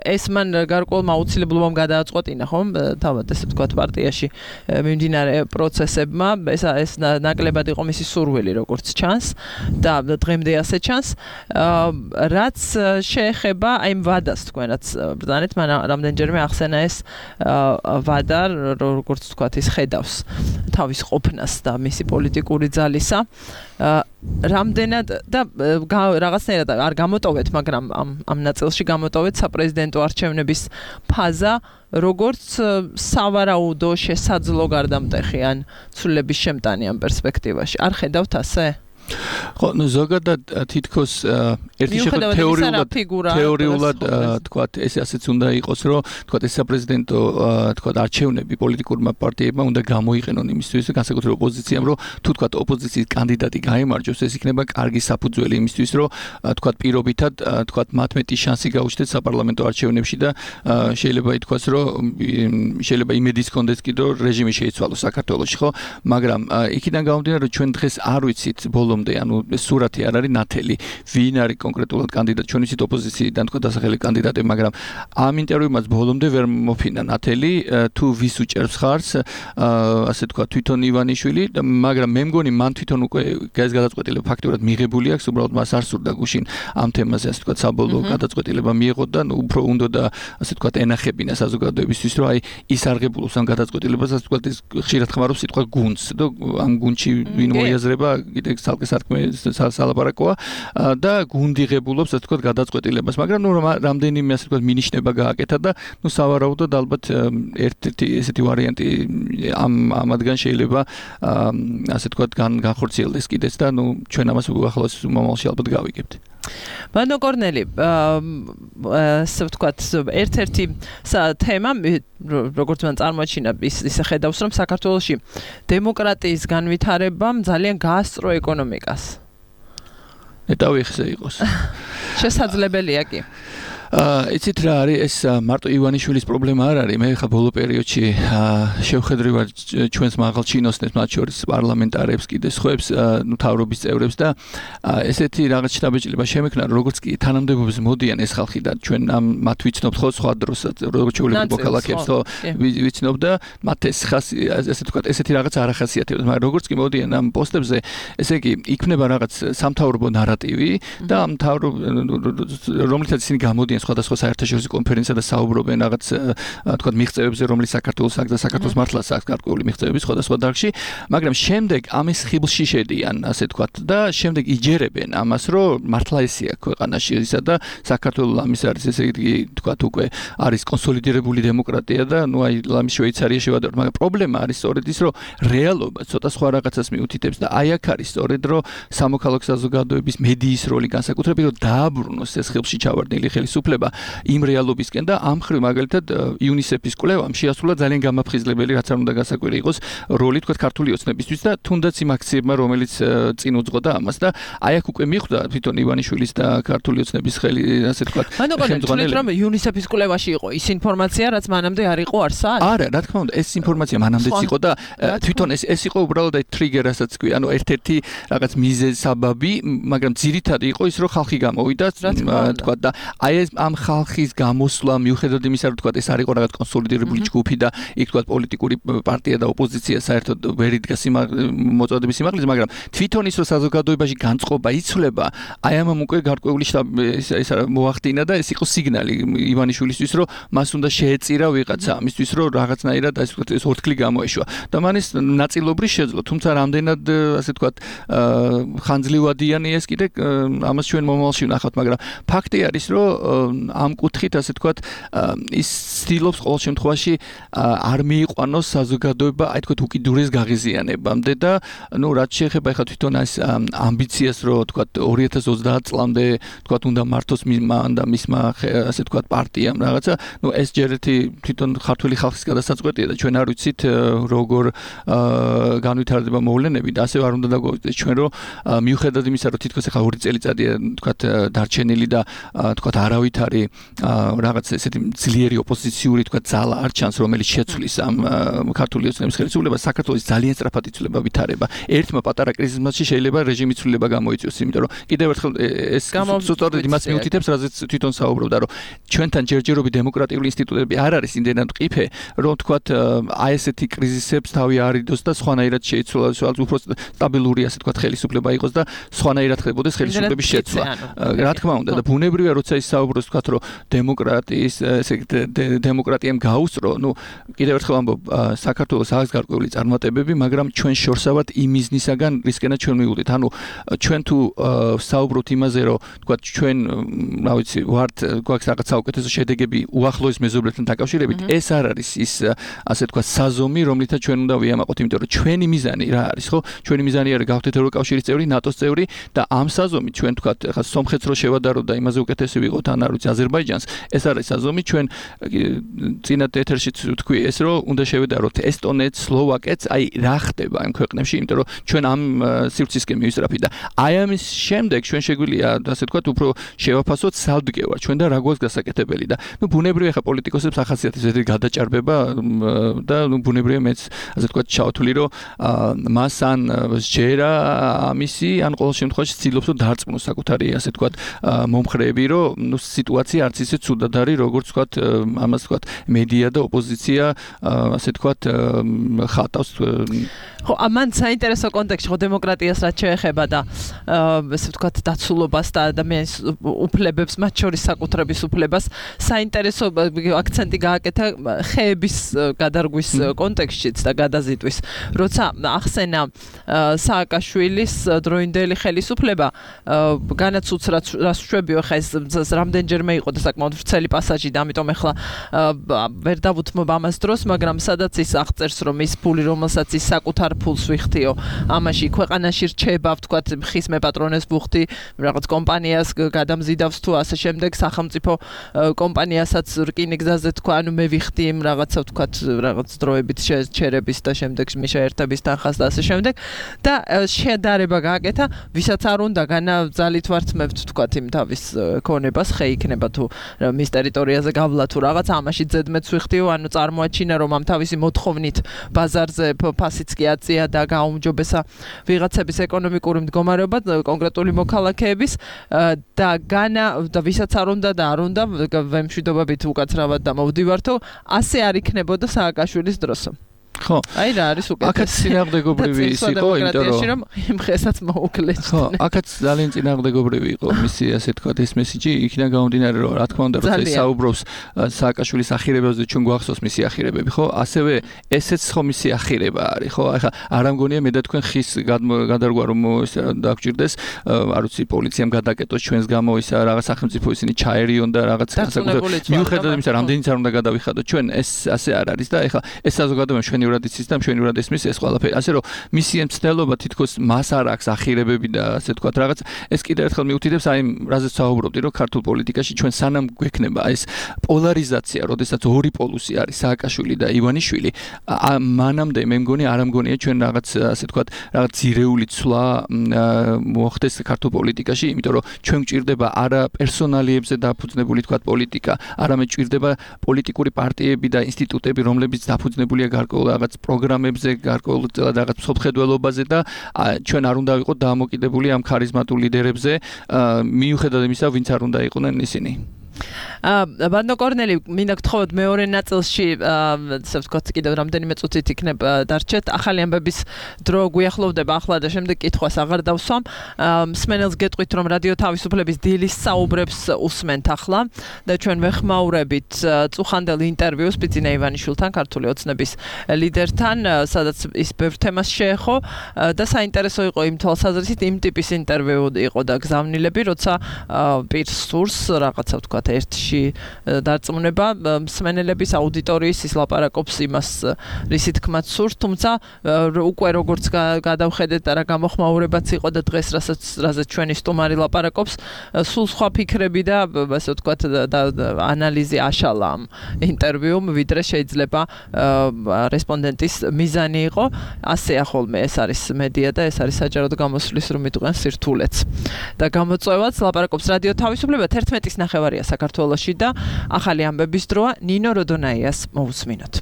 ეს მან გარკვეულმა აუცილებლობამ გადააწყვეტინა ხომ თავად ესე ვთქვათ პარტიაში მიმდინარე პროცესებმა ეს ნაკლებად იყო მისი სურვილი როგორც ჩანს და დღემდე ასე ჩანს რაც შეეხება აი ვადას თქვენაც ბრძანეთ მან რამდენჯერმე ახსენა ეს ვადა როგორც ვთქვათ ის ხედავს თავის ყოფნას და მისი პოლიტიკური ძალისა რამდენად და რაღაცნაირად არ გამოტოვეთ მაგრამ ამ ნაწილში გამოტოვეთ საპრეზიდენტო არჩევნების ფაზა როგორც სავარაუდო შესაძლო გარდამტეხი ან ცვლილების შემტანი ამ პერსპექტივაში არ ხედავთ ასე ხო, ну ზოგადად თითქოს ერთი თეორიულად თქვათ ეს ასეც უნდა იყოს, რომ თქვათ ეს საპრეზიდენტო თქვათ არჩევნები პოლიტიკურმა პარტიებმა უნდა გამოიყენონ იმისთვის, განსაკუთრებით ოპოზიციამ, რომ თუ თქვათ ოპოზიციის კანდიდატი გაიმარჯვოს, ეს იქნება კარგი საფუძველი იმისთვის, რომ თქვათ პირობითად თქვათ მათ მეტი შანსი გაუჩნდეთ საპარლამენტო არჩევნებში და შეიძლება ითქვას, რომ შეიძლება იმედის კონდეს კიდე რომ რეჟიმი შეიცვალოს საქართველოში, ხო? მაგრამ იქიდან გამომდინარე, რომ ჩვენ დღეს არ ვიცით ბოლომდე, ანუ სურათი არ არის ნათელი, ვინ არის კონკრეტულად კანდიდატი, ჩვენ ვიცით ოპოზიციიდან თქვა დასახელი კანდიდატები, მაგრამ ამ ინტერვიუმაც ბოლომდე ვერ მოფინა ნათელი, თუ ვის უჭერს ხარს, ასე თქვა თვითონ ივანიშვილი, მაგრამ მე მგონი მან თვითონ უკვე ეს გადაწყვეტილება ფაქტურად მიღებული აქვს, უბრალოდ მას არ სურდა გუშინ ამ თემაზე ასე თქვა საბოლოო გადაწყვეტილება მიიღო და უფრო უნდა და ასე თქვა ენახებინა საზოგადოებისთვის, რომ აი ის არღებულობს ამ გადაწყვეტილებას, ასე თქვა ის ხშირად ხმარობს სიტყვა გუნდს და ამ გუნდში ვინ მოიაზრება, კიდე ცალკე სათქმე სალაპარაკოა და გუნდიღებულობს ასე თქვა გადაწყვეტილებას, მაგრამ ნუ რამდენიმე ასე თქვა მინიშნება გააკეთა და ნუ სავარაუდოდ ალბათ ერთ-ერთი ესეთი ვარიანტი ამადგან შეიძლება ასე თქვა განხორციელდეს კიდეც და ნუ ჩვენ ამას უახლოეს მომავალში ალბათ გავიგებთ. ბანო კორნელი, ასე ვთქვათ, ერთ-ერთი თემა, როგორც მან წარმოაჩინა, ისე ხედავს, რომ საქართველოში დემოკრატიის განვითარებამ ძალიან გაასწრო ეკონომიკას. ნეტავი ხზე იყოს. შესაძლებელია კი. იცით რა არის ეს მარტო ივანიშვილის პრობლემა არ არის, მე ხა ბოლო პერიოდში შევხედრივარ ჩვენს მაღალ ჩინოსნებს, მათ შორის პარლამენტარებს, კიდე სხვებს, ნუ თავრობის წევრებს და ესეთი რაღაც შტაბეჭდილება შემექნა, როგორც კი თანამდებობებს მოდიან ეს ხალხი და ჩვენ მათ ვიცნობთ ხო სხვა დროსაც, როგორც ჩვეულებრივ მოქალაქეებს ხო ვიცნობ და მათ ეს ხასი ესე თქვა ესეთი რაღაც არ ახასიათებთ, მაგრამ როგორც კი მოდიან ამ პოსტებზე, ესე იგი იქნება რაღაც სამთავრობო ნარატივი და ამ რომლითაც ისინი გამოდიან სხვადასხვა საერთაშორისო კონფერენცია და საუბრობენ რაღაც თქვა მიღწევებზე, რომელიც საქართველოს აქვს და საქართველოს მართლაც აქვს გარკვეული მიღწევები სხვადასხვა დარგში, მაგრამ შემდეგ ამის ხიბლში შედიან, ასე თქვა და შემდეგ იჯერებენ ამას, რომ მართლა ესეა ქვეყანაში ისა და საქართველოს ამის არის ესე იგი თქვა უკვე არის კონსოლიდირებული დემოკრატია და ნუ აი ლამის შვეიცარია შევადაროთ, მაგრამ პრობლემა არის სწორედ ის, რომ რეალობა ცოტა სხვა რაღაცას მიუთითებს და აი აქ არის სწორედ რომ სამოქალაქო საზოგადოების მედიის როლი განსაკუთრებით რომ დააბრუნოს ეს ხიბლში ჩავარდნილი ხელისუფლება იმ რეალობისკენ და ამ ხრივ მაგალითად იუნისეფის კვლევამ შეასრულა ძალიან გამაფხიზლებელი, რაც არ უნდა გასაკვირი იყოს როლი თქვა ქართული ოცნებისთვის და თუნდაც იმ აქციებმა, რომელიც წინ უძღოდა ამას და აი აქ უკვე მიხვდა თვითონ ივანიშვილის და ქართული ოცნების ხელი, ასე თქვა ხელმძღვანელი. რომ იუნისეფის კვლევაში იყო ის ინფორმაცია, რაც მანამდე არ იყო არსად? არა, რა თქმა უნდა, ეს ინფორმაცია მანამდეც იყო და თვითონ ეს იყო უბრალოდ აი ტრიგერ, რასაც თქვი, ანუ ერთ-ერთი რაღაც მიზეზი საბაბი, მაგრამ ძირითადად იყო ის, რომ ხალხი გამოვიდა, თქვა და აი ამ ხალხის გამოსვლა მიუხედავად იმისა, რომ თქვა ეს არ იყო რაღაც კონსოლიდირებული ჯგუფი და იქ თქვა პოლიტიკური პარტია და ოპოზიცია საერთოდ ვერ იდგა მოწოდების სიმაღლეზე, მაგრამ თვითონ ის რომ საზოგადოებაში განწყობა იცვლება, აი ამამ უკვე გარკვეული ეს მოახდინა და ეს იყო სიგნალი ივანიშვილისთვის, რომ მას უნდა შეეწირა ვიღაცა ამისთვის, რომ რაღაცნაირად ეს ორთქლი გამოეშვა. და მან ეს ნაწილობრივ შეძლო, თუმცა რამდენად ასე ვთქვათ ხანძლივადიანი ეს კიდე ამას ჩვენ მომავალში ვნახავთ, მაგრამ ფაქტი არის, რომ ამ კუთხით ასე ვთქვათ ის ცდილობს ყოველ შემთხვევაში არ მიიყვანოს საზოგადოება, აი თქვათ უკიდურეს გაღიზიანებამდე და ნუ რაც შეეხება ახლა თვითონ ეს ამბიციას, რომ თქვათ 2030 წლამდე თქვათ უნდა მართოს მან და მისმა ასე ვთქვათ პარტიამ რაღაცა, ნუ ეს ჯერ ერთი თვითონ ქართული ხალხის გადასაწყვეტია და ჩვენ არ ვიცით როგორ განვითარდება მოვლენები და ასევე არ უნდა დაგვაუწყდეს ჩვენ რომ მიუხედავად იმისა რომ თითქოს ახლა 2 წელიწადია თქვათ დარჩენილი და თქვათ არავითარი რაღაც ესეთი ძლიერი ოპოზიციური თქვათ ძალა არ ჩანს რომელიც შეცვლის ამ ქართული ოცნების ხელისუფლებას საქართველოს ძალიან სწრაფად იცვლება ვითარება ერთმა პატარა კრიზისმაში შეიძლება რეჟიმი ცვლილება გამოიწვიოს იმიტომ რომ კიდევ ერთხელ ეს სწორედ იმას მიუთითებს რაზეც თვითონ საუბრობდა რომ ჩვენთან ჯერჯერობით დემოკრატიული ინსტიტუტები არ არის იმდენად მყიფე რომ თქვათ აი ესეთი კრიზისებს თავი არიდოს და სხვანაირად შეიცვლოს უფრო სტაბილური ასე თქვათ ხელისუფლება იყოს და სხვანაირად ხდებოდეს ხელისუფლების შეცვლა რა თქმა უნდა და ბუნებრივია როცა ის საუბრობს თქვათ რომ დემოკრატიამ გაუსწრო ნუ კიდევ ერთხელ ამბობ საქართველოს აქვს გარკვეული წარმატებები მაგრამ ჩვენ შორსავად იმ მიზნისაგან რისკენაც ჩვენ მივუდით ანუ ჩვენ თუ საუბრობთ იმაზე რომ თქვათ ჩვენ რა ვიცი ვართ გვაქვს რაღაც საუკეთესო შედეგები უახლოეს მეზობლებთან დაკავშირებით ეს არ არის ის ასე თქვათ საზომი რომლითაც ჩვენ უნდა ვიამაყოთ იმიტომ რომ ჩვენი მიზანი რა არის ხო ჩვენი მიზანი არის გავხდეთ ევროკავშირის წევრი ნატოს წევრი და ამ საზომით ჩვენ თქვათ ახლა სომხეთს რო შევადაროთ და იმაზე უკეთესი ვიყოთ ან არ ვიცი აზერბაიჯანს ეს არის საზომი ჩვენ წინათ ეთერშიც ვთქვი ეს რომ უნდა შევედაროთ ესტონეთს სლოვაკეთს აი რა ხდება ამ ქვეყნებში იმიტომ რომ ჩვენ ამ სივრცისკენ მივისწრაფი და აი ამის შემდეგ ჩვენ შეგვიძლია ასე თქვათ უფრო შევაფასოთ სალდგევარ ჩვენ და რა გვაქვს გასაკეთებელი და ნუ ბუნებრივია ხა პოლიტიკოსებს ახასიათებს ეს გადაჭარბება და ნუ ბუნებრივია მეც ასე თქვათ ჩავთვლი რომ მას ან შეერა ამისი ან ყოველ შემთხვევაში ცდილობს რომ დაარწმუნოს საკუთარი ასე თქვათ მომხრეები რომ ნუ სიტუაცია არც ისე ცუდად არის როგორც თქვათ ამას თქვათ მედია და ოპოზიცია ასე თქვათ ხატავს ხო ამან საინტერესო კონტექსტში ხო დემოკრატიას რაც შეეხება და ესე ვთქვათ დაცულობას და ადამიანის უფლებებს მათ შორის საკუთრების უფლებას საინტერესო აქცენტი გააკეთა ხეების გადარგვის კონტექსტშიც და გადაზიდვის როცა ახსენა სააკაშვილის დროინდელი ხელისუფლება განაცუც რაც შვებიო ხა ეს რამდენჯერმე იყო და საკმაოდ ვრცელი პასაჟი და ამიტომ ახლა ვერ დავუთმობ ამას დროს მაგრამ სადაც ის აღწერს რომ ის ფული რომელსაც ის საკუთარ ფულს ვიხდიო ამაში ქვეყანაში რჩება ვთქვათ ხის მეპატრონეს ბუხტი რაღაც კომპანიას გადამზიდავს თუ ასე შემდეგ სახელმწიფო კომპანიასაც რკინიგზაზე თქვა ანუ მე ვიხდი იმ რაღაცა ვთქვათ რაღაც დროებით შეერების და შემდეგ შეერთების თანხას და ასე შემდეგ და შედარება გააკეთა ვისაც არ უნდა განაძალით ვართმევთ ვთქვათ იმ თავის ქონებას ხე იქნება თუ მის ტერიტორიაზე გავლა თუ რაღაც ამაში ზედმეტს ვიხდიო ანუ წარმოაჩინა რომ ამ თავისი მოთხოვნით ბაზარზე ფასიც კი აწია და გაუმჯობესა ვიღაცების ეკონომიკური მდგომარეობა კონკრეტული მოქალაქეების და და ვისაც არ უნდა და არ უნდა ვემშვიდობებით უკაცრავად და მოვდივართო ასე არ იქნებოდა სააკაშვილის დროსო ხო აი რა არის უკეთესი აქაც წინააღმდეგობრივი ის იყო იმიტომ რომ იმ ხესაც მოუკლეს ხო აქაც ძალიან წინააღმდეგობრივი იყო მისი ასე თქვა ეს მესიჯი იქიდან გამომდინარე რომ რა თქმა უნდა როცა საუბრობს სააკაშვილის ახირებებზე ჩვენ გვახსოვს მისი ახირებები ხო ასევე ესეც ხო მისი ახირება არის ხო ახლა არ ამგონია მე და თქვენ ხის გადარგვა რომ დაგჭირდეს არ ვიცი პოლიციამ გადაკეტოს ჩვენს გამო ის რაღაც სახელმწიფო ისინი ჩაერიონ და რაღაც მიუხედავად იმისა რამდენიც არ უნდა გადავიხადოთ ჩვენ ეს ასე არ არის და ახლა ეს საზოგადოება ჩვენი იცის და მშვენივრად ესმის ეს ყველაფერი. ასე რომ მისი მცდელობა თითქოს მას არ აქვს ახირებები და ასე თქვა რაღაც ეს კიდევ ერთხელ მიუთითებს აი რაზეც საუბრობდი რომ ქართულ პოლიტიკაში ჩვენ სანამ გვექნება ეს პოლარიზაცია, როდესაც ორი პოლუსი არის სააკაშვილი და ივანიშვილი, მანამდე მე მგონი არ ამგონია ჩვენ რაღაც ასე თქვა რაღაც ძირეული ცვლა მოხდეს ქართულ პოლიტიკაში, იმიტომ რომ ჩვენ გვჭირდება არა პერსონალიებზე დაფუძნებული თქვა პოლიტიკა, არამედ გვჭირდება პოლიტიკური პარტიები და ინსტიტუტები, რომლებიც დაფუძნებულია გარკვეულ რაღაც პროგრამებზე, გარკვეულ რაღაც მსოფლმხედველობაზე და ჩვენ არ უნდა ვიყოთ დამოკიდებული ამ ქარიზმატულ ლიდერებზე, მიუხედავად იმისა, ვინც არ უნდა იყვნენ ისინი. ბანდო კორნელი მინდა გთხოვოთ მეორე ნაწილში ასე ვთქვათ კიდევ რამდენიმე წუთით იქნებ დარჩეთ ახალი ამბების დრო გვიახლოვდება ახლა და შემდეგ კითხვას აღარ დავსვამ მსმენელს გეტყვით რომ რადიო თავისუფლების დილის საუბრებს უსმენთ ახლა და ჩვენ ვეხმაურებით წუხანდელ ინტერვიუს პიძინა ივანიშვილთან ქართული ოცნების ლიდერთან სადაც ის ბევრ თემას შეეხო და საინტერესო იყო იმ თვალსაზრისით იმ ტიპის ინტერვიუ იყო და გზავნილები როცა პირს სურს რაღაცა ვთქვათ ერთში დარწმუნება მსმენელების აუდიტორიის ის ლაპარაკობს იმას რისი თქმაც სურს თუმცა უკვე როგორც გადავხედეთ და რა გამოხმაურებაც იყო და დღეს რაზეც ჩვენი სტუმარი ლაპარაკობს სულ სხვა ფიქრები და ასე ვთქვათ ანალიზი აშალა ამ ინტერვიუმ ვიდრე შეიძლება რესპონდენტის მიზანი იყო ასე ახოლმე ეს არის მედია და ეს არის საჯაროდ გამოსვლის რომ იტყვიან სირთულეც და გამოწვევაც ლაპარაკობს რადიო თავისუფლება 11-ის ნახევარია საქართველოში და ახალი ამბების დროა ნინო როდონაიას მოусმინოთ.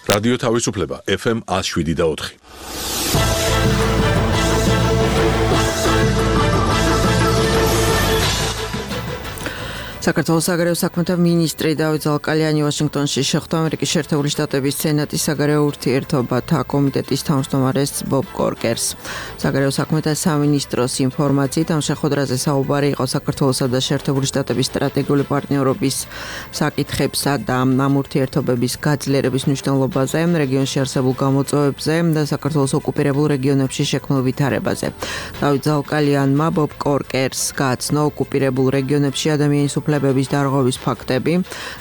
რადიო თავისუფლება FM 107.4. საქართველოს საგარეო საქმეთა მინისტრი დავით ზალკალიანი ვაშინგტონში შეხვდა ამერიკის შეერთებული შტატების სენატის საგარეო ურთიერთობათა კომიტეტის თავმჯდომარეს ბობ კორკერს. საგარეო საქმეთა სამინისტროს ინფორმაციით ამ შეხვედრაზე საუბარი იყო საქართველოსა და შეერთებული შტატების სტრატეგიული პარტნიორობის საკითხებსა და ამ ურთიერთობების გაძლიერების მნიშვნელობაზე, რეგიონში არსებულ გამოწვევებზე და საქართველოს ოკუპირებულ რეგიონებში შექმნილ ვითარებაზე. დავით ზალკალიანმა ბობ კორკერს გააცნო ოკუპირებულ რეგიონებში ადამიანის უფლებების დარღვევის ფაქტები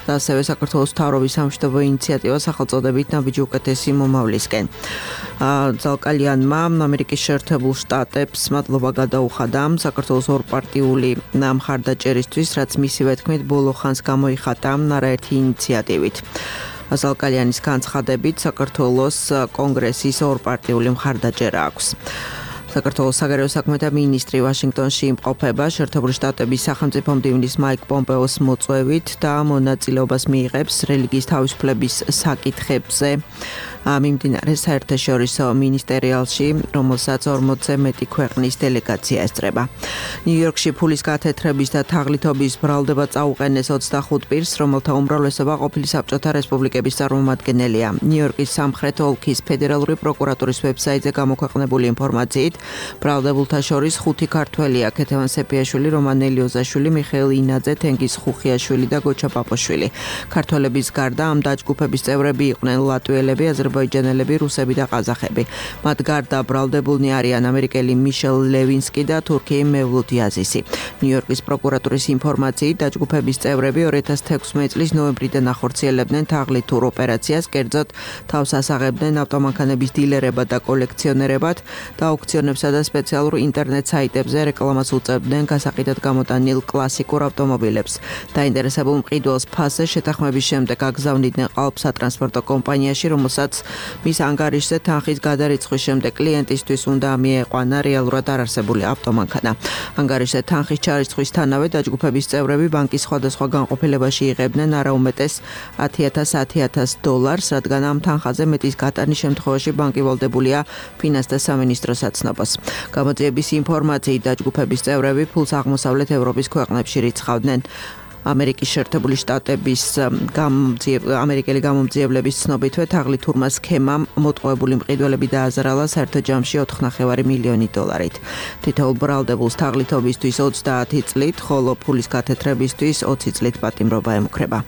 და ასევე საქართველოს მთავრობის სამშვიდობო ინიციატივა სახელწოდებით ნაბიჯი უკეთესი მომავლისკენ. ზალკალიანმა ამერიკის შეერთებულ შტატებს მადლობა გადაუხადა საქართველოს ორპარტიული მხარდაჭერისთვის, რაც მისივე თქმით ბოლო ხანს გამოიხატა არაერთი ინიციატივით. ზალკალიანის განცხადებით საქართველოს კონგრესის ორპარტიული მხარდაჭერა აქვს. საქართველოს საგარეო საქმეთა მინისტრი ვაშინგტონში იმყოფება შეერთებული შტატების სახელმწიფო მდივნის მაიკ პომპეოს მოწვევით და მონაწილეობას მიიღებს რელიგიის თავისუფლების საკითხებზე მიმდინარე საერთაშორისო მინისტერიალში, რომელსაც 40-ზე მეტი ქვეყნის დელეგაცია ესწრება. ნიუ-იორკში ფულის გათეთრების და თაღლითობის ბრალდება წაუყენეს 25 პირს, რომელთა უმრავლესობა ყოფილი საბჭოთა რესპუბლიკების წარმომადგენელია. ნიუ-იორკის სამხრეთ ოლქის ფედერალური პროკურატურის ვებსაიტზე გამოქვეყნებული ინფორმაციით, ბრალდებულთა შორის 5 ქართველია: ქეთევან სეფიაშვილი, რომან ელიოზაშვილი, მიხეილ ინაძე, თენგიზ ხუხიაშვილი და გოჩა პაპოშვილი. ქართველების გარდა ამ დაჯგუფების წევრები იყვნენ ლატვიელები, აზერბაიჯანელები, რუსები და ყაზახები. მათ გარდა ბრალდებულნი არიან ამერიკელი მიშელ ლევინსკი და თურქი მევლութ იაზისი. ნიუ-იორკის პროკურატურის ინფორმაციით, დაჯგუფების წევრები 2016 წლის ნოემბრიდან ახორციელებდნენ თაღლითურ ოპერაციას, კერძოდ თავს ასაღებდნენ ავტომანქანების დილერებად და კოლექციონერებად და აუქციონებსა და სპეციალურ ინტერნეტ საიტებზე რეკლამას უწევდნენ გასაყიდად გამოტანილ კლასიკურ ავტომობილებს. დაინტერესებულ მყიდველს ფასზე შეთანხმების შემდეგ აგზავნიდნენ ყალბ სატრანსპორტო კომპანიაში, რომელსაც მის ანგარიშზე თანხის გადარიცხვის შემდეგ კლიენტისთვის უნდა მიეყვანა რეალურად არარსებული ავტომანქანა. ანგარიშზე თანხის ჩარიცხვისთანავე დაჯგუფების წევრები ბანკის სხვადასხვა განყოფილებაში იღებდნენ არაუმეტეს $10,000, რადგან ამ თანხაზე მეტის გატანის შემთხვევაში ბანკი ვალდებულია ფინანსთა სამინისტროს აცნობას. გამოძიების ინფორმაციით დაჯგუფების წევრები ფულს აღმოსავლეთ ევროპის ქვეყნებში რიცხავდნენ. ამერიკის შეერთებული შტატების ამერიკელი გამომძიებლების ცნობითვე თაღლითურმა სქემამ მოტყუებული მყიდველები დააზარალა საერთო ჯამში $4.5 მილიონი. თითოეულ ბრალდებულს თაღლითობისთვის 30 წლით, ხოლო ფულის გათეთრებისთვის 20 წლით პატიმრობა ემუქრება.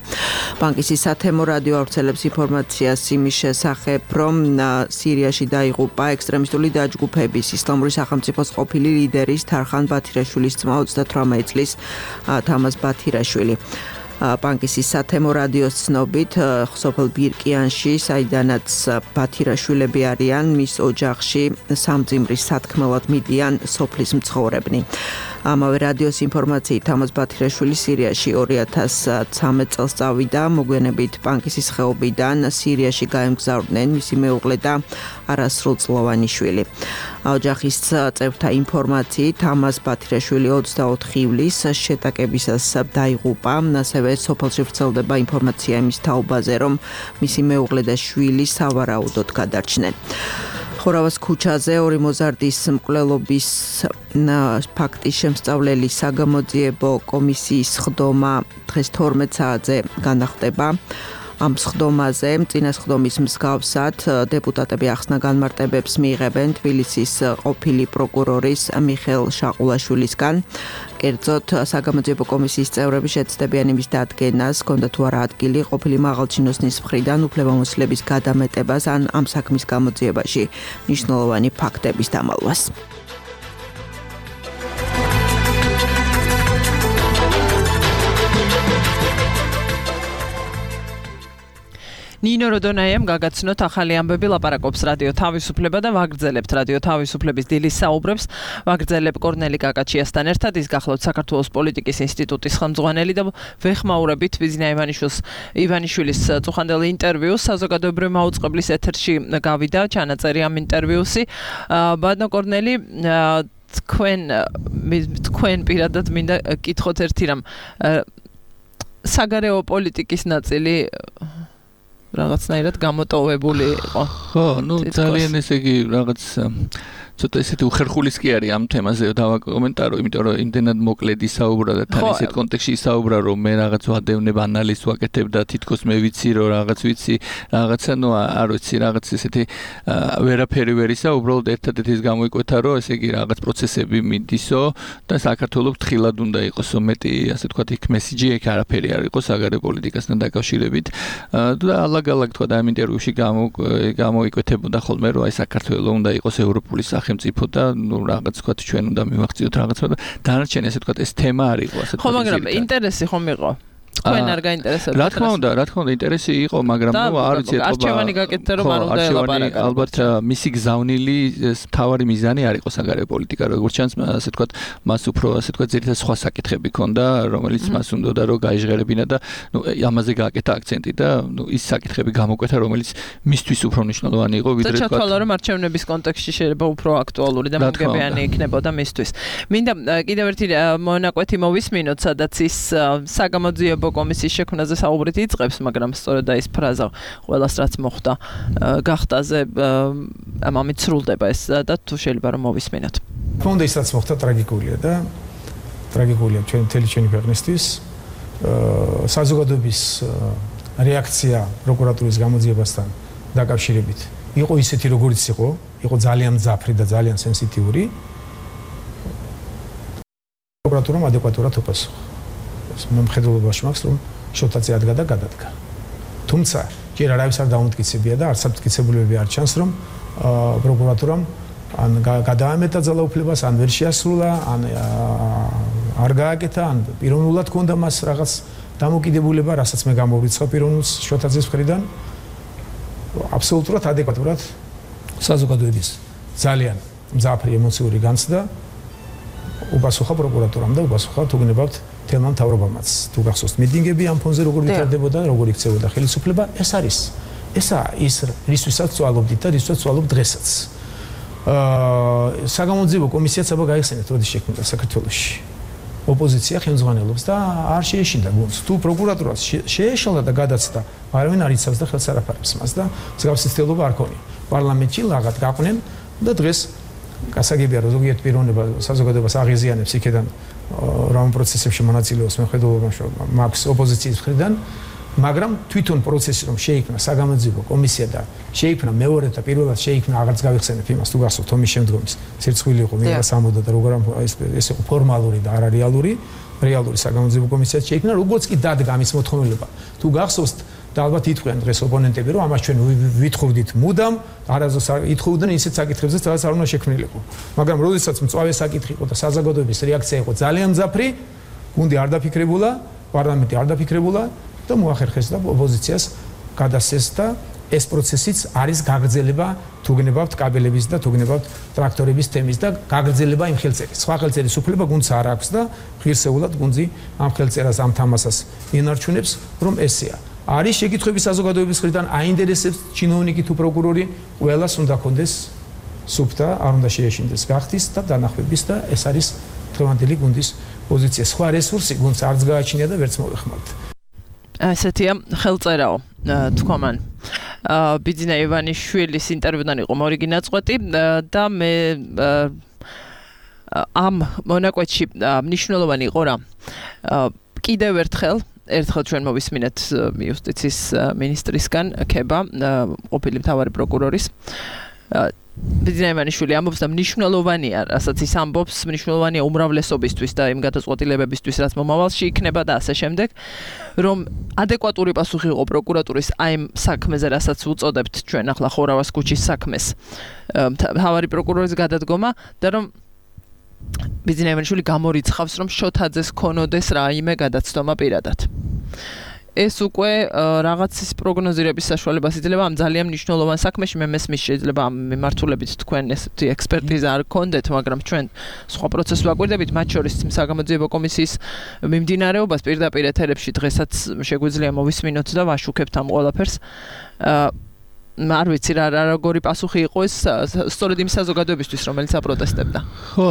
ბანკის სათემო რადიო ავრცელებს ინფორმაციას იმის შესახებ, რომ სირიაში დაიღუპა ექსტრემისტული დაჯგუფების ისლამური სახელმწიფოს ყოფილი ლიდერის თარხან ბათირაშვილის ძმა 38 წლის თამაზ ბათირაშვილი. ბანკის სათემო რადიოს ცნობით, სოფელ ბირკიანში, საიდანაც ბათირაშვილები არიან, მის ოჯახში სამძიმრის სათქმელად მიდიან სოფლის მცხოვრებნი. ამავე რადიოს ინფორმაციით, თამაზ ბათირაშვილი სირიაში 2013 წელს წავიდა, მოგვიანებით ბანკის ხეობიდან სირიაში გაემგზავრნენ მისი მეუღლე და არასრულწლოვანი შვილი. ოჯახის წევრთა ინფორმაციით, თამაზ ბათირაშვილი 24 ივლისს შეტაკებისას დაიღუპა, ასევე სოფელში ვრცელდება ინფორმაცია იმის თაობაზე, რომ მისი მეუღლე და შვილი სავარაუდოდ გადარჩნენ. ხორავას ქუჩაზე ორი მოზარდის მკვლელობის ფაქტის შემსწავლელი საგამოძიებო კომისიის ხდომა დღეს 12 საათზე განახდება. ამ სხდომაზე წინა სხდომის მსგავსად დეპუტატები ახსნა განმარტებებს მიიღებენ თბილისის ყოფილი პროკურორის მიხეილ შაყულაშვილისგან. კერძოდ საგამოძიებო კომისიის წევრები შეცდებიან იმის დადგენას, ჰქონდა თუ არა ადგილი ყოფილი მაღალჩინოსნის მხრიდან უფლებამოსილების გადამეტებას ან ამ საქმის გამოძიებაში მნიშვნელოვანი ფაქტების დამალვას. ნინო როდონაიამ გაგაცნოთ ახალი ამბები ლაპარაკობს რადიო თავისუფლება და ვაგრძელებთ რადიო თავისუფლების დილის საუბრებს. ვაგრძელებ კორნელი კაკაჩიასთან ერთად ის გახლავთ საქართველოს პოლიტიკის ინსტიტუტის ხელმძღვანელი და ვეხმაურებით ბიზნა ივანიშვილის წუხანდელ ინტერვიუს საზოგადოებრივი მაუწყებლის ეთერში გავიდა ჩანაწერი ამ ინტერვიუსი. ბატონო კორნელი თქვენ პირადად მინდა კითხოთ ერთი რამ საგარეო პოლიტიკის ნაწილი რაღაცნაირად გამოტოვებული იყო. ხო, ძალიან ესე იგი რაღაც ცოტა ესეთი უხერხულის კი არის ამ თემაზე დავაკომენტარო, იმიტომ რომ იმდენად მოკლედ ისაუბრა და თან ისეთ კონტექსტში ისაუბრა, რომ მე რაღაც ვადევნებ ანალიზს ვაკეთებ და თითქოს მე ვიცი, რომ რაღაც ვიცი, რაღაცა არ ვიცი, რაღაც ესეთი ვერაფერი ვერ ისაუბრა, ერთადერთი ის გამოიკვეთა, რომ ესე იგი რაღაც პროცესები მიდისო და საქართველოს თხილად უნდა იყოსო მეტი, ასე ვთქვათ, იქ მესიჯი ეგ არაფერი არ იყო საგარეო პოლიტიკასთან დაკავშირებით. და ალაგ-ალაგ თქვა და ამ ინტერვიუში გამოიკვეთებოდა ხოლმე, რომ აი საქართველოს უნდა იყოს ევროპული სახელმწიფო და რაღაც თქვა ჩვენ უნდა მივახციოთ რაღაცა და დანარჩენი ასე თქვა ეს თემა არ იყო ასე თქვა. ხო, მაგრამ ინტერესი ხომ იყო? თქვენ არ გაინტერესებთ? რა თქმა უნდა, ინტერესი იყო, მაგრამ არ ვიცი ეთქობა. არჩევანი გაკეთდა რომ არ უნდა ელაპარაკო. ალბათ მისი გზავნილი თავარი მიზანი არ იყო საგარეო პოლიტიკა, როგორც ჩანს, ასე თქვა, მას უფრო ასე თქვა ძირითადად სხვა საკითხები ჰქონდა, რომელიც მას უნდოდა რომ გაიჟღერებინა და ამაზე გააკეთა აქცენტი და ის საკითხები გამოკვეთა, რომელიც მისთვის უფრო მნიშვნელოვანი იყო, ვიდრე თქვა. ჩათვალა რომ არჩევნების კონტექსტში შეიძლება უფრო აქტუალური და მომგებიანი იქნებოდა მისთვის. მინდა კიდევ ერთი მონაკვეთი მოვისმინოთ, სადაც ის საგამოძიებო კომისიის შექმნაზე საუბრით იწყებს, მაგრამ სწორედ ის ფრაზა ყველას რაც მოხდა გახტაზე ამით სრულდება ეს და თუ შეიძლება რომ მოვისმინოთ. თქონდა ის რაც მოხდა ტრაგიკულია და ტრაგიკულია ჩვენი ქვეყნისთვის. საზოგადოების რეაქცია პროკურატურის გამოძიებასთან დაკავშირებით იყო ისეთი როგორიც იყო ძალიან მძაფრი და ძალიან სენსიტიური. პროკურატურამ ადეკვატურად უპასუხა. მომხედველობაში მაქვს რომ შოთაცი ადგა და გადადგა. თუმცა ჯერ არავის არ დაუმტკიცებია და არც მტკიცებულებები არ ჩანს რომ პროკურატურამ ან გადაამეტა ძალაუფლებას, ან ვერ შეასრულა, ან არ გააკეთა, ან პიროვნულად ჰქონდა მას რაღაც დამოკიდებულება, რასაც მე გამოვრიცხავ პიროვნულს შოთაძის მხრიდან. აბსოლუტურად ადეკვატურად საზოგადოების ძალიან მძაფრი ემოციური განცდა უპასუხა პროკურატურამ და უპასუხა თუ გნებავთ თელმა მთავრობამაც. თუ გახსოვთ მიტინგები ამ ფონზე როგორ ვითარდებოდა, როგორ იქცეოდა ხელისუფლება, ესაა ის რისთვისაც ვწვალობდით და რისთვისაც ვწვალობ დღესაც. საგამოძიებო კომისიაც აბა გაიხსენეთ, როდის შექმნდა საქართველოში. ოპოზიცია ხელმძღვანელობს და არ შეეშინდა გუნდს. თუ პროკურატურას შეეშალა და გადაცდა, არავინ არ იცავს და ხელს არ აფარებს მას და მსგავსი ცდილობა არ ქონია. პარლამენტში ლაღად გაყვნენ და დღეს გასაგებია რომ ზოგიერთ პიროვნება საზოგადოებას აღიზიანებს იქედან რომ პროცესებში მონაწილეობს მეხედველობაში მაქვს ოპოზიციის მხრიდან, მაგრამ თვითონ პროცესი რომ შეიქმნა საგამოძიებო კომისია და შეიქმნა მეორე და პირველად შეიქმნა აღარც გავიხსენებ იმას თუ გახსოვთ ომის შემდგომის სირცხვილი იყო მიღება სამოდა და როგორ ეს იყო ფორმალური და არარეალური საგამოძიებო კომისია შეიქმნა, როგორც კი დადგა ამის მოთხოვნილება. თუ გახსოვთ და ალბათ ითქვიან დღეს ოპონენტები რომ ამას ჩვენ ვითხოვდით მუდამ, არასდროს ითხოვდნენ ისეთ საკითხებზე, სადაც არ უნდა შექმნილიყო. მაგრამ როდესაც მწვავე საკითხი იყო და საზოგადოების რეაქცია იყო ძალიან მძაფრი, გუნდი არ დაფიქრებულა, პარლამენტი არ დაფიქრებულა და მოახერხეს და ოპოზიციას გადასცეს და ეს პროცესიც არის გაგრძელება თუ გნებავთ კაბელების და თუ გნებავთ ტრაქტორების თემის და გაგრძელება იმ ხელწერის. სხვა ხელწერის უფლება გუნდს არ აქვს და ღირსეულად გუნდი ამ ხელწერას ამ თამასას ინარჩუნებს, რომ ესეა. არის შეკითხვები საზოგადოების მხრიდან, აინტერესებს ჩინოვნიკი თუ პროკურორი, ყველას უნდა ქონდეს სუფთა, არ უნდა შეეშინდეს გახდის და დანახვების და ეს არის დღევანდელი გუნდის პოზიცია. სხვა რესურსი გუნდს არც გააჩნია და ვერც მოეხმართ. ასეთია ხელწერაო თქვამან. ბიძინა ივანიშვილის ინტერვიუდან იყო მორიგი ნაწყვეტი და მე ამ მონაკვეთში მნიშვნელოვანი იყო რა კიდევ ერთხელ ჩვენ მოვისმინეთ იუსტიციის მინისტრისგან ქება ყოფილი მთავარი პროკურორის ბიძინა ივანიშვილი ამბობს და მნიშვნელოვანია, რასაც ის ამბობს, მნიშვნელოვანია უმრავლესობისთვის და იმ გადაწყვეტილებებისთვის, რაც მომავალში იქნება და ასე შემდეგ, რომ ადეკვატური პასუხი იყო პროკურატურის აი ამ საქმეზე, რასაც უწოდებთ ჩვენ ახლა ხორავას ქუჩის საქმეს, მთავარი პროკურორის გადადგომა და რომ ბიძინა ივანიშვილი გამორიცხავს, რომ შოთაძეს ქონოდეს რაიმე გადაცდომა პირადად. ეს უკვე რაღაცის პროგნოზირების საშუალებას იძლევა ამ ძალიან მნიშვნელოვან საქმეში მე მესმის შეიძლება ამ მიმართულებით თქვენ ესეთი ექსპერტიზა არ გქონდეთ, მაგრამ ჩვენ სხვა პროცესს ვაკვირდებით, მათ შორის საგამოძიებო კომისიის მიმდინარეობას პირდაპირ ეთერებში დღესაც შეგვიძლია მოვისმინოთ და ვაშუქებთ ამ ყველაფერს. არ ვიცი რა როგორი პასუხი იყო ეს სწორედ იმ საზოგადოებისთვის, რომელიც აპროტესტებდა. ხო,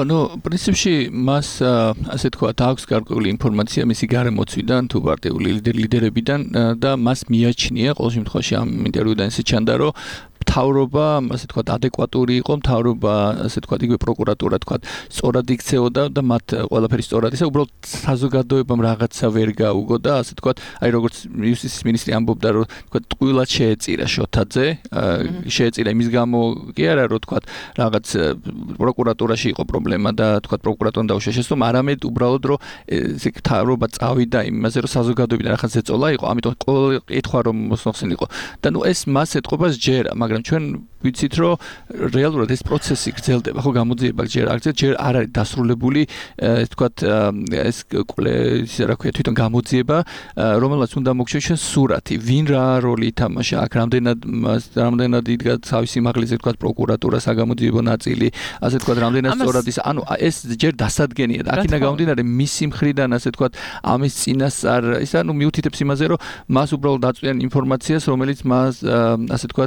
პრინციპში მას ასე თქვა, აქვს გარკვეული ინფორმაცია მისი გარემოცვიდან თუ პარტიული ლიდერებიდან და მას მიაჩნია ყოველ შემთხვევაში ამ ინტერვიუდან ისე ჩანდა, რომ მთავრობა, ასე თქვა, ადეკვატური იყო, მთავრობა, ასე თქვა, იგივე პროკურატურა, თქვა, სწორად იქცეოდა და მათ ყველაფერი სწორად ისე უბრალოდ საზოგადოებამ რაღაცა ვერ გაუგო და ასე თქვა, აი როგორც იუსტიციის მინისტრი ამბობდა, რომ თქვა, ტყუილად შეეწირა შოთაძე, შეეწირა იმის გამო კი არა, რომ თქვა, რაღაც პროკურატურაში იყო პრობლემა და თქვა, პროკურატურამ დაუშვა შესწორება, არამედ უბრალოდ რომ ესე მთავრობა წავიდა იმაზე, რომ საზოგადოებიდან რაღაც ეწოლა იყო, ამიტომ ყოველ კითხვა რომ მოსახსენ იყო და ეს მას ეთყობას ჯერა, მაგრამ ჩვენ ვიცით რომ რეალურად ეს პროცესი გრძელდება, ხო გამოძიება ჯერ არ არის დასრულებული, ეს თქვა ეს ისე რა ქვია თვითონ გამოძიება, რომელსაც უნდა მოგჩვენოს ჩვენ სურათი, ვინ რა როლი ითამაშა, აქ რამდენად იდგა თავის სიმაღლეზე თქვა პროკურატურა, საგამოძიებო ნაწილი, ასე თქვა რამდენად სწორად ის, ანუ ეს ჯერ დასადგენია და აქედან გამომდინარე მისი მხრიდან ასე თქვა ამის წინასწარ ის ანუ მიუთითებს იმაზე რომ მას უბრალოდ აწვდიან ინფორმაციას, რომელიც მას ასე თქვა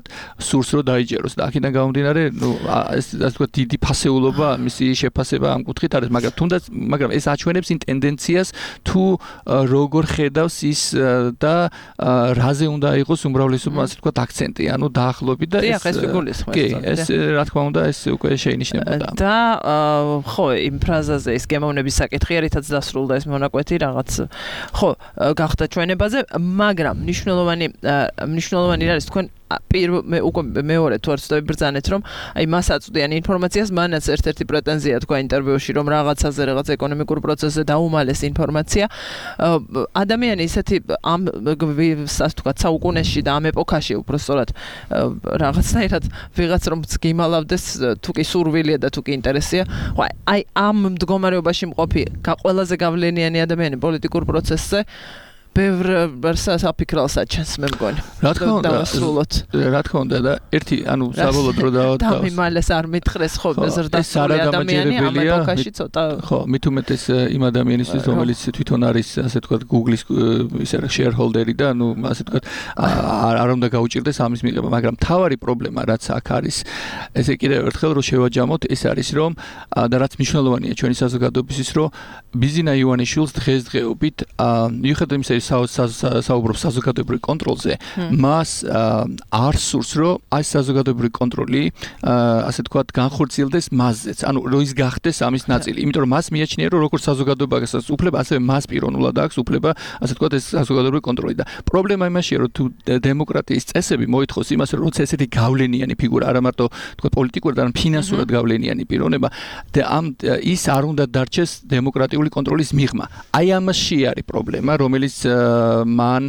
სურს რომ დაიჯეროს და აქედან გამომდინარე, ეს ასე თქვა დიდი ფასეულობა, მისი შეფასება ამ კუთხით არის, მაგრამ ეს აჩვენებს იმ ტენდენციას თუ როგორ ხედავს ის და რაზე უნდა იყოს უმრავლესობა, ასე თქვა აქცენტი, ანუ დაახლოებით და ეს რა თქმა უნდა ეს უკვე შეინიშნებოდა. და ხო, იმ ფრაზაზე ის გემოვნების საკითხი რითაც დასრულდა ეს მონაკვეთი რაღაც ხო, გახდა ჩვენებაზე, მაგრამ მნიშვნელოვანი არის თქვენ უკვე მეორე თუ არ ვცდები ბრძანეთ, რომ აი მას აწვდიან ინფორმაციას, მანაც ერთ-ერთი პრეტენზია თქვა ინტერვიუში, რომ რაღაცაზე, რაღაც ეკონომიკურ პროცესზე დაუმალეს ინფორმაცია. ადამიანი ისეთი ამ ასე თქვა საუკუნეში და ამ ეპოქაში უბრალოდ რაღაცნაირად ვიღაც რომ გიმალავდეს, თუ კი სურვილია და თუ კი ინტერესია, ხო აი ამ მდგომარეობაში მყოფი ყველაზე გავლენიანი ადამიანი პოლიტიკურ პროცესზე ბევრ საფიქრალს აჩენს მე მგონი. რა თქმა უნდა და ერთი ანუ საბოლოოდ რო დამიმალეს არ მითხრეს ხო ზრდასრული ადამიანი ამ ეპოქაში ცოტა ხო მით უმეტეს იმ ადამიანისთვის რომელიც თვითონ არის ასე ვთქვათ Google-ის ისე shareholder-ი და ანუ ასე ვთქვათ არ უნდა გაუჭირდეს ამის მიღება, მაგრამ თავარი პრობლემა რაც აქ არის ესე კიდევ ერთხელ რო შევაჯამოთ ეს არის რომ და რაც მნიშვნელოვანია ჩვენი საზოგადოებისთვის რომ ბიძინა ივანიშვილს დღესდღეობით მიუხედავად იმისა საუბრობს საზოგადოებრივ კონტროლზე, მას არ სურს, რომ აი საზოგადოებრივი კონტროლი, ასე ვთქვათ, განხორციელდეს მასზეც, ანუ რომ ის გახდეს ამის ნაწილი. იმიტომ რომ მას მიაჩნია, რომ როგორც საზოგადოებას უფლება, ასევე მას პიროვნულად აქვს უფლება, ასე ვთქვათ, ეს საზოგადოებრივი კონტროლი და პრობლემა იმაშია, რომ თუ დემოკრატიის წესები მოითხოვს იმას, რომ როცა ესეთი გავლენიანი ფიგურა, არა მარტო ვთქვათ, პოლიტიკურად, არამედ ფინანსურად გავლენიანი პიროვნება და ის არ უნდა დარჩეს დემოკრატიული კონტროლის მიღმა. აი ამაში არის პრობლემა, რომელიც მან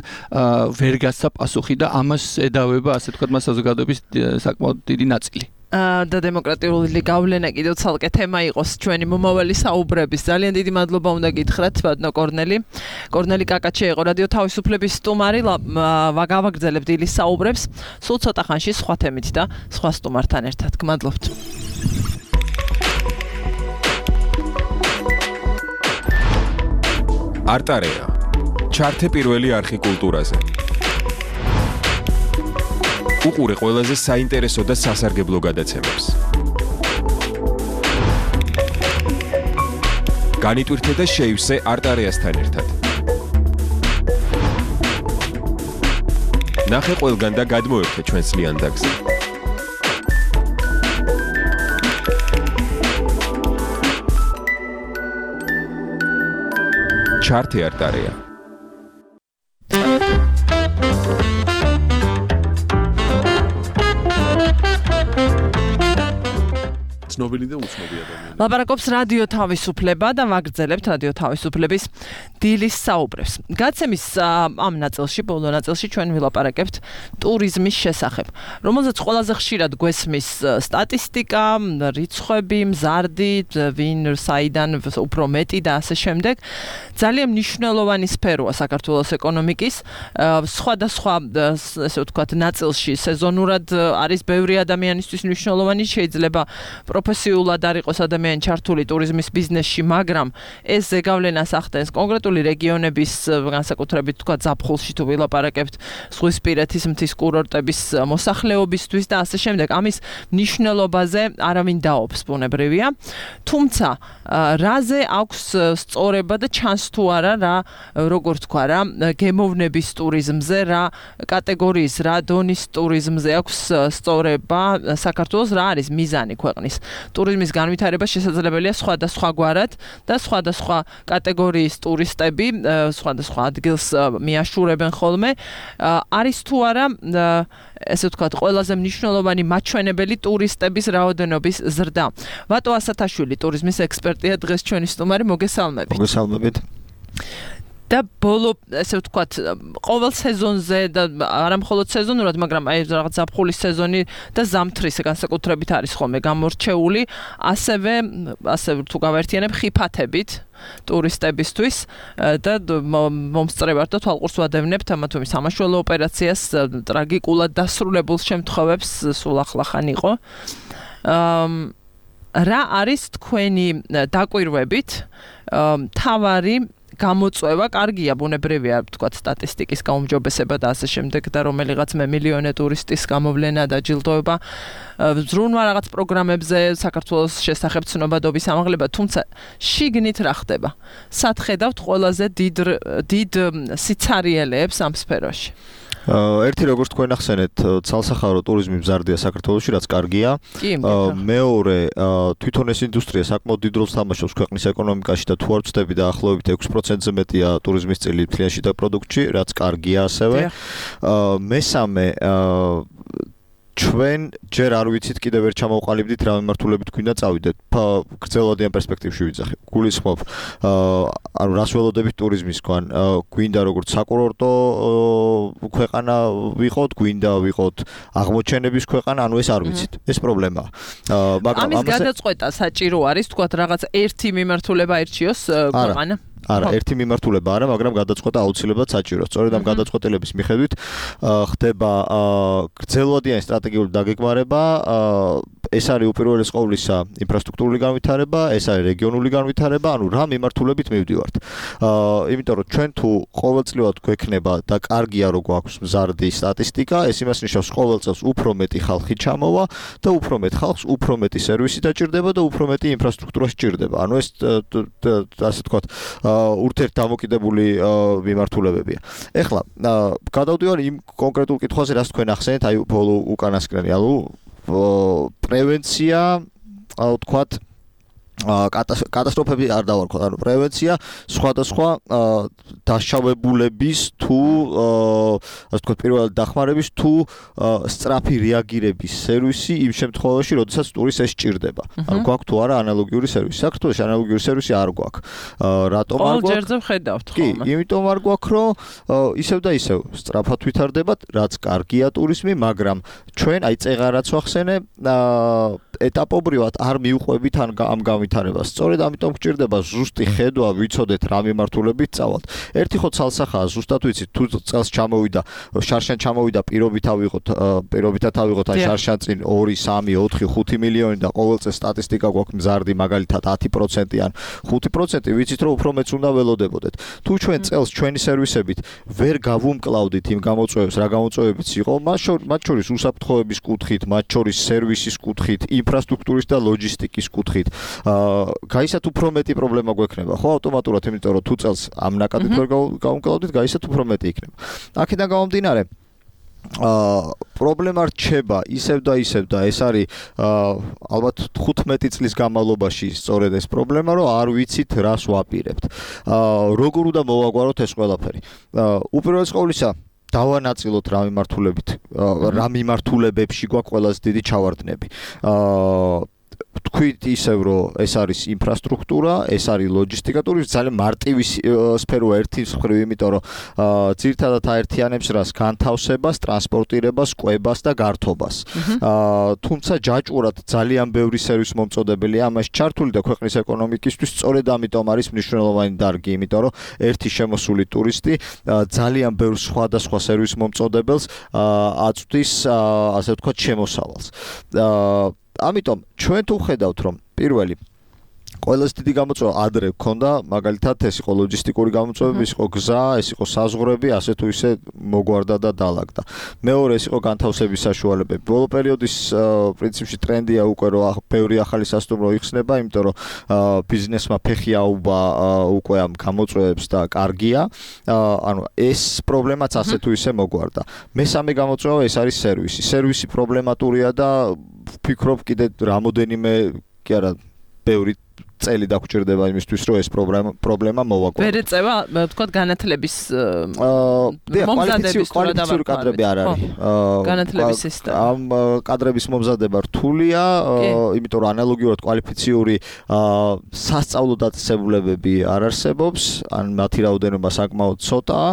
ვერ გასცა პასუხი და ამას ედავება ასე ვთქვათ მას საზოგადოების საკმაოდ დიდი ნაწილი. და დემოკრატიული გავლენა კიდევ ცალკე თემა იყოს ჩვენი მომავალი საუბრების. ძალიან დიდი მადლობა უნდა გითხრათ ბატონო კორნელი. კორნელი კაკაჩე იყო რადიო თავისუფლების სტუმარი. გავაგრძელებთ დილის საუბრებს სულ ცოტა ხანში სხვა თემით და სხვა სტუმართან ერთად. გმადლობთ. არტარეა ჩართე პირველი არხი კულტურაზე. უყურე ყველაზე საინტერესო და სასარგებლო გადაცემებს. განიტვირთე და შეივსე არტარეასთან ერთად. ნახე ყველგან და გადმოერთე ჩვენს ლიანდაგზე. ჩარტი არტარია. ცნობილი და უცნობი ადამიანი. ლაპარაკობს რადიო თავისუფლება და ვაგრძელებთ რადიო თავისუფლების დილის საუბრებს. გაცემის ამ ნაწილში, ბოლო ნაწილში ჩვენ ვილაპარაკებთ ტურიზმის შესახებ, რომელზეც ყველაზე ხშირად გვესმის სტატისტიკა, რიცხვები, მზარდი, ვინ საიდან უფრო მეტი და ასე შემდეგ. ძალიან მნიშვნელოვანი სფეროა საქართველოს ეკონომიკის. სხვადასხვა ესე ვთქვათ ნაწილში სეზონურად არის ბევრი ადამიანისთვის მნიშვნელოვანი, შეიძლება პროფესიულად არ იყოს ადამიანი ჩართული ტურიზმის ბიზნესში, მაგრამ ეს ზეგავლენას ახდენს კონკრეტული რეგიონების, განსაკუთრებით თქვა ზაფხულში თუ ვილაპარაკებთ ზღვისპირეთის მთის კურორტების მოსახლეობისთვის და ასე შემდეგ. ამის მნიშვნელობაზე არავინ დაობს, ბუნებრივია. თუმცა რაზე აქვს სწორება და ჩანს თუ არა რა, როგორ თქვა რა, გემოვნების ტურიზმზე, რა კატეგორიის, რა დონის ტურიზმზე აქვს სწორება საქართველოს, რა არის მიზანი ქვეყნის ტურიზმის განვითარება შესაძლებელია სხვადასხვაგვარად და სხვადასხვა კატეგორიის ტურისტები სხვადასხვა ადგილს მიაშურებენ ხოლმე. არის თუ არა ესე ვთქვათ, ყველაზე მნიშვნელოვანი მაჩვენებელი ტურისტების რაოდენობის ზრდა. ვატო ასათაშვილი ტურიზმის ექსპერტია დღეს ჩვენი სტუმარი, მოგესალმებით. მოგესალმებით. და ბოლო ესე ვთქვათ, ყოველ სეზონზე და არა მხოლოდ სეზონურად, მაგრამ აი რაღაც ზაფხულის სეზონი და ზამთრის განსაკუთრებით არის ხოლმე გამორჩეული, ასევე თუ გავერთიანებ ხიფათებით ტურისტებისთვის და მომსწრებად და თვალყურს ვადევნებთ ამა თუ იმ სამაშველო ოპერაციას, ტრაგიკულად დასრულებულ შემთხვევებს, სულ ახლახან იყო. რა არის თქვენი დაკვირვებით მთავარი გამოწვევა? კარგია, ბუნებრივია, ვთქვათ, სტატისტიკის გაუმჯობესება და ასე შემდეგ და რომელიღაც მემილიონე ტურისტის გამოვლენა და ჯილდოება ზრუნვა რაღაც პროგრამებზე საქართველოს შესახებ ცნობადობის ამაღლება, თუმცა შიგნით რა ხდება? სად ხედავთ ყველაზე დიდ სიცარიელეებს ამ სფეროში? ერთი როგორც თქვენ ახსენეთ, ცალსახარო ტურიზმი მზარდია საქართველოში, რაც კარგია. მეორე, თვითონ ეს ინდუსტრია საკმაოდ დიდ როლს თამაშობს ქვეყნის ეკონომიკაში და თუ არ ვწდები და ახლობით 6%-ზე მეტია ტურიზმის წილი მთლიან შიდა პროდუქტში, რაც კარგია ასევე. მესამე, ჩვენ ჯერ არ ვიცით, კიდევ ვერ ჩამოვყალიბდით რა მიმართულებით გვინდა წავიდეთ. გრძელვადიან პერსპექტივში ვიძახი. გულისხმობ, ანუ რას ველოდებით ტურიზმისგან, გვინდა როგორც საკურორტო ქვეყანა ვიყოთ, გვინდა ვიყოთ აღმოჩენების ქვეყანა, ანუ ეს არ ვიცით. ეს პრობლემაა. მაგრამ ამის გადაწყვეტა საჭირო არის, თქვათ, რაღაც ერთი მიმართულება ერჩიოს ქვეყანა. არა, ერთი მიმართულება არა, მაგრამ გადაწყვეტა აუცილებლად საჭიროა. სწორედ ამ გადაწყვეტილების მიხედვით ხდება გრძელვადიანი სტრატეგიული დაგეგმარება, ეს არის უპირველეს ყოვლისა ინფრასტრუქტურული განვითარება, ეს არის რეგიონული განვითარება, ანუ რა მიმართულებით მივდივართ. იმიტომ რომ ჩვენ თუ ყოველწლიურად გვექნება და კარგია რო გვაქვს მზარდი სტატისტიკა, ეს იმას ნიშნავს, ყოველ წელს უფრო მეტი ხალხი ჩამოვა და უფრო მეტ ხალხს უფრო მეტი სერვისი დაჭირდება და უფრო მეტი ინფრასტრუქტურა სჭირდება. ანუ ეს ასე ვთქვათ, ურთიერთდამოკიდებული მიმართულებებია. ეხლა გადავდივარ იმ კონკრეტულ კითხვაზე, რაც თქვენ ახსენეთ, აი ბოლო უკანასკნელი, ანუ პრევენცია, ვთქვათ, კატასტროფები არ დავარქვათ, ანუ პრევენცია სხვადასხვა დაშავებულების თუ ასე ვთქვათ, პირველად დახმარების თუ სწრაფი რეაგირების სერვისი იმ შემთხვევაში, როდესაც ტურისტს ეს სჭირდება. ანუ გვაქვს თუ არა ანალოგიური სერვისი. საქართველოში ანალოგიური სერვისი არ გვაქვს. რატომ არ გვაქვს? ჯერზე ვხედავთ ხოლმე. კი, იმიტომ არ გვაქვს, რომ ისევ და ისევ სწრაფად ვითარდებათ, რაც კარგია ტურიზმი, მაგრამ ჩვენ აი წეღარაც ვახსენე, ეტაპობრივად არ მივყვებით ამ განვითარებას. სწორედ ამიტომ გჭირდება ზუსტი ხედვა, ვიცოდეთ რა მიმართულებით წავალთ. ერთი ხო ცალსახაა, ზუსტად ვიცით, თუ წელს ჩამოვიდა, შარშან ჩამოვიდა პირობითად ავიღოთ აი შარშან წინ 2, 3, 4, 5 მილიონი და ყოველ წელს სტატისტიკა გვაქვს მზარდი, მაგალითად 10% ან 5%, ვიცით რომ უფრო მეც უნდა ველოდებოდეთ. თუ ჩვენ წელს ჩვენი სერვისებით ვერ გავუმკლავდით იმ გამოწვევებს, რა გამოწვევებიც იყო, მათ შორის უსაფრთხოების კუთხით, მათ შორის სერვისის კუთხით, ინფრასტრუქტურის და ლოჯისტიკის კუთხით, გაისათ უფრო მეტი პრობლემა გვექნება, ხო, ავტომატურად, იმიტომ რომ თუ წელს ამ ნაკადით ვერ გავუმკლავდით, გაისათ უფრო მეტი იქნება. აქედან გამომდინარე, პრობლემა რჩება ისევ და ეს არის ალბათ 15 წლის განმავლობაში სწორედ ეს პრობლემა, რომ არ ვიცით რას ვაპირებთ. როგორ უნდა მოვაგვაროთ ეს ყველაფერი. უპირველეს ყოვლისა დავანაწილოთ რა მიმართულებებში გვაქვს ყველაზე დიდი ჩავარდნები. თქვით ისევ რომ ეს არის ინფრასტრუქტურა, ეს არის ლოჯისტიკა, ტურიზმი ძალიან მარტივი სფეროა ერთი მხრივ, იმიტომ რომ ძირითადად აერთიანებს რას? განთავსებას, ტრანსპორტირებას, კვებას და გართობას. თუმცა ჯაჭვურად ძალიან ბევრი სერვის მომწოდებელია ამაში ჩართული და ქვეყნის ეკონომიკისთვის სწორედ ამიტომ არის მნიშვნელოვანი დარგი, იმიტომ რომ ერთი შემოსული ტურისტი ძალიან ბევრ სხვადასხვა სერვის მომწოდებელს აწვდის, ასე ვთქვათ, შემოსავალს. ამიტომ ჩვენ თუ ხედავთ რომ პირველი ყველაზე დიდი გამოწვევა ადრე გქონდა, მაგალითად ეს იყო ლოჯისტიკური გამოწვევები, ეს იყო გზა, ეს იყო საზღვრები, ასე თუ ისე მოგვარდა და დაალაგდა. მეორე ეს იყო განთავსების საშუალებები. ბოლო პერიოდის პრინციპში ტრენდია უკვე რომ ბევრი ახალი სასტუმრო იხსნება, იმიტომ რომ ბიზნესმა ფეხი აუვა უკვე ამ გამოწვევებს და კარგია. ანუ ეს პრობლემაც ასე თუ ისე მოგვარდა. მესამე გამოწვევა ეს არის სერვისი. სერვისი პრობლემატურია და ვფიქრობ კიდე რამოდენიმე კი არა ბევრი წელი დაგჭირდება იმისთვის რომ ეს პრობლემა მოვაგვაროთ. ვერ ეწევა, ვთქვათ, განათლების კვალიფიციური კადრები არ არის. განათლების სისტემა. ამ კადრების მომზადება რთულია, იმიტომ რომ ანალოგიურად კვალიფიციური სასწავლო დაწესებულებები არ არსებობს, ან მათი რაოდენობა საკმაოდ ცოტაა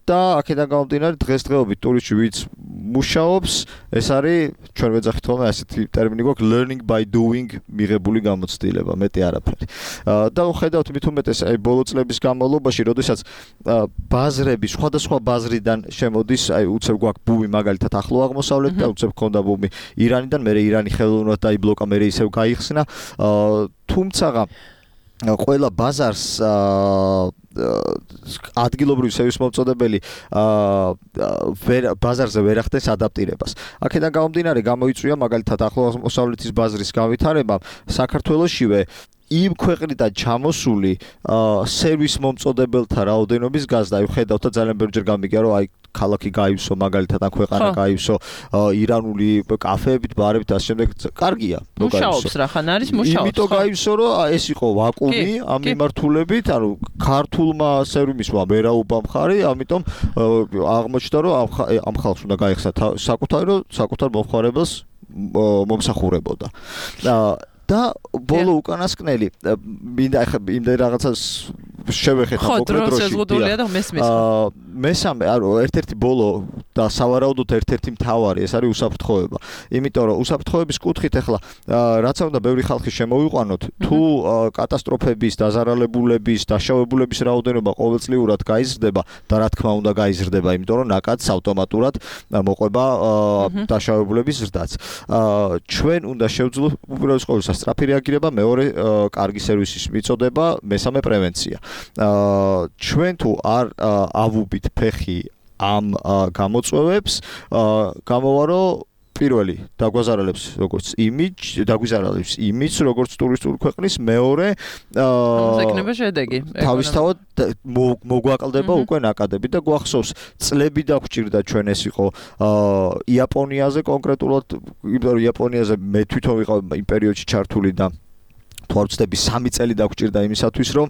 და აქედან გამომდინარე დღესდღეობით ტურისტში ვინც მუშაობს, ეს არის ჩვენ ვეძახით ხოლმე ასეთი ტერმინი გვაქვს learning by doing მიღებული გამოცდილება. მეტი არაფერი. და ხედავთ მით უმეტეს აი ბოლო წლების განმავლობაში, როდესაც ბაზრები სხვადასხვა ბაზრიდან შემოდის, აი უცებ გვაქვს ბუმი მაგალითად ახლო აღმოსავლეთიდან, უცებ ქონდა ბუმი ირანიდან, მე ირანი ხელოვნურად დაიბლოკა, მე ისევ გაიხსნა. თუმცა ყველა ბაზარს ადგილობრივი სერვის მომწოდებელი ბაზარზე ვერ ახდენს ადაპტირებას. აქედან გამომდინარე გამოიწვია მაგალითად ახლო აღმოსავლეთის ბაზრის განვითარებამ საქართველოშივე იმ ქვეყნიდან ჩამოსული სერვის მომწოდებელთა რაოდენობის გაზრდა. აი ხედავთ და ძალიან ბევრჯერ გამიგია რომ აი ქალაქი გაივსო მაგალითად ან ქვეყანა გაივსო ირანული კაფეებით, ბარებით და ასე შემდეგ. კარგია, მუშაობს რახან არის მუშაობს. იმიტომ გაივსო რომ ეს იყო ვაკუუმი ამ მიმართულებით, ანუ ქართულმა სერვისმა ვერაუბა მხარი, ამიტომ აღმოჩნდა რომ ამ ხალხს უნდა გაიხსნა საკუთარ მომხმარებელს მომსახურებოდა. და ბოლო უკანასკნელი მინდა რაღაცას შევეხეთ ამ კონკრეტ დროში. მესამე, ერთ-ერთი ბოლო და სავარაუდოდ ერთ-ერთი მთავარი, ეს არის უსაფრთხოება. იმიტომ რომ უსაფრთხოების კუთხით ახლა რაც უნდა ბევრი ხალხი შემოვიყვანოთ, თუ კატასტროფების, დაზარალებულების, დაშავებულების რაოდენობა ყოველწლიურად გაიზრდება და რა თქმა უნდა გაიზრდება, იმიტომ რომ ნაკადს ავტომატურად მოყვება დაშავებულების ზრდაც. ჩვენ უნდა შევძლოთ უპირველეს ყოვლისა სწრაფი რეაგირება, მეორე კარგი სერვისის მიწოდება, მესამე პრევენცია. ჩვენ თუ არ ავუბით ფეხი ამ გამოწვევებს, გამოვა რომ პირველი დაგვაზარალებს როგორც იმიჯს როგორც ტურისტული ქვეყნის, მეორე ეკნება შედეგი. თავისთავად მოგვაკლდება უკვე ნაკადები და გვახსოვს წლები დაგვჭირდა ჩვენ ეს იყო იაპონიაზე კონკრეტულად, იმიტომ რომ იაპონიაზე მე თვითონ ვიყავ იმ პერიოდში ჩართული და თუ არ ვცდები 3 წელი დაგვჭირდა იმისათვის რომ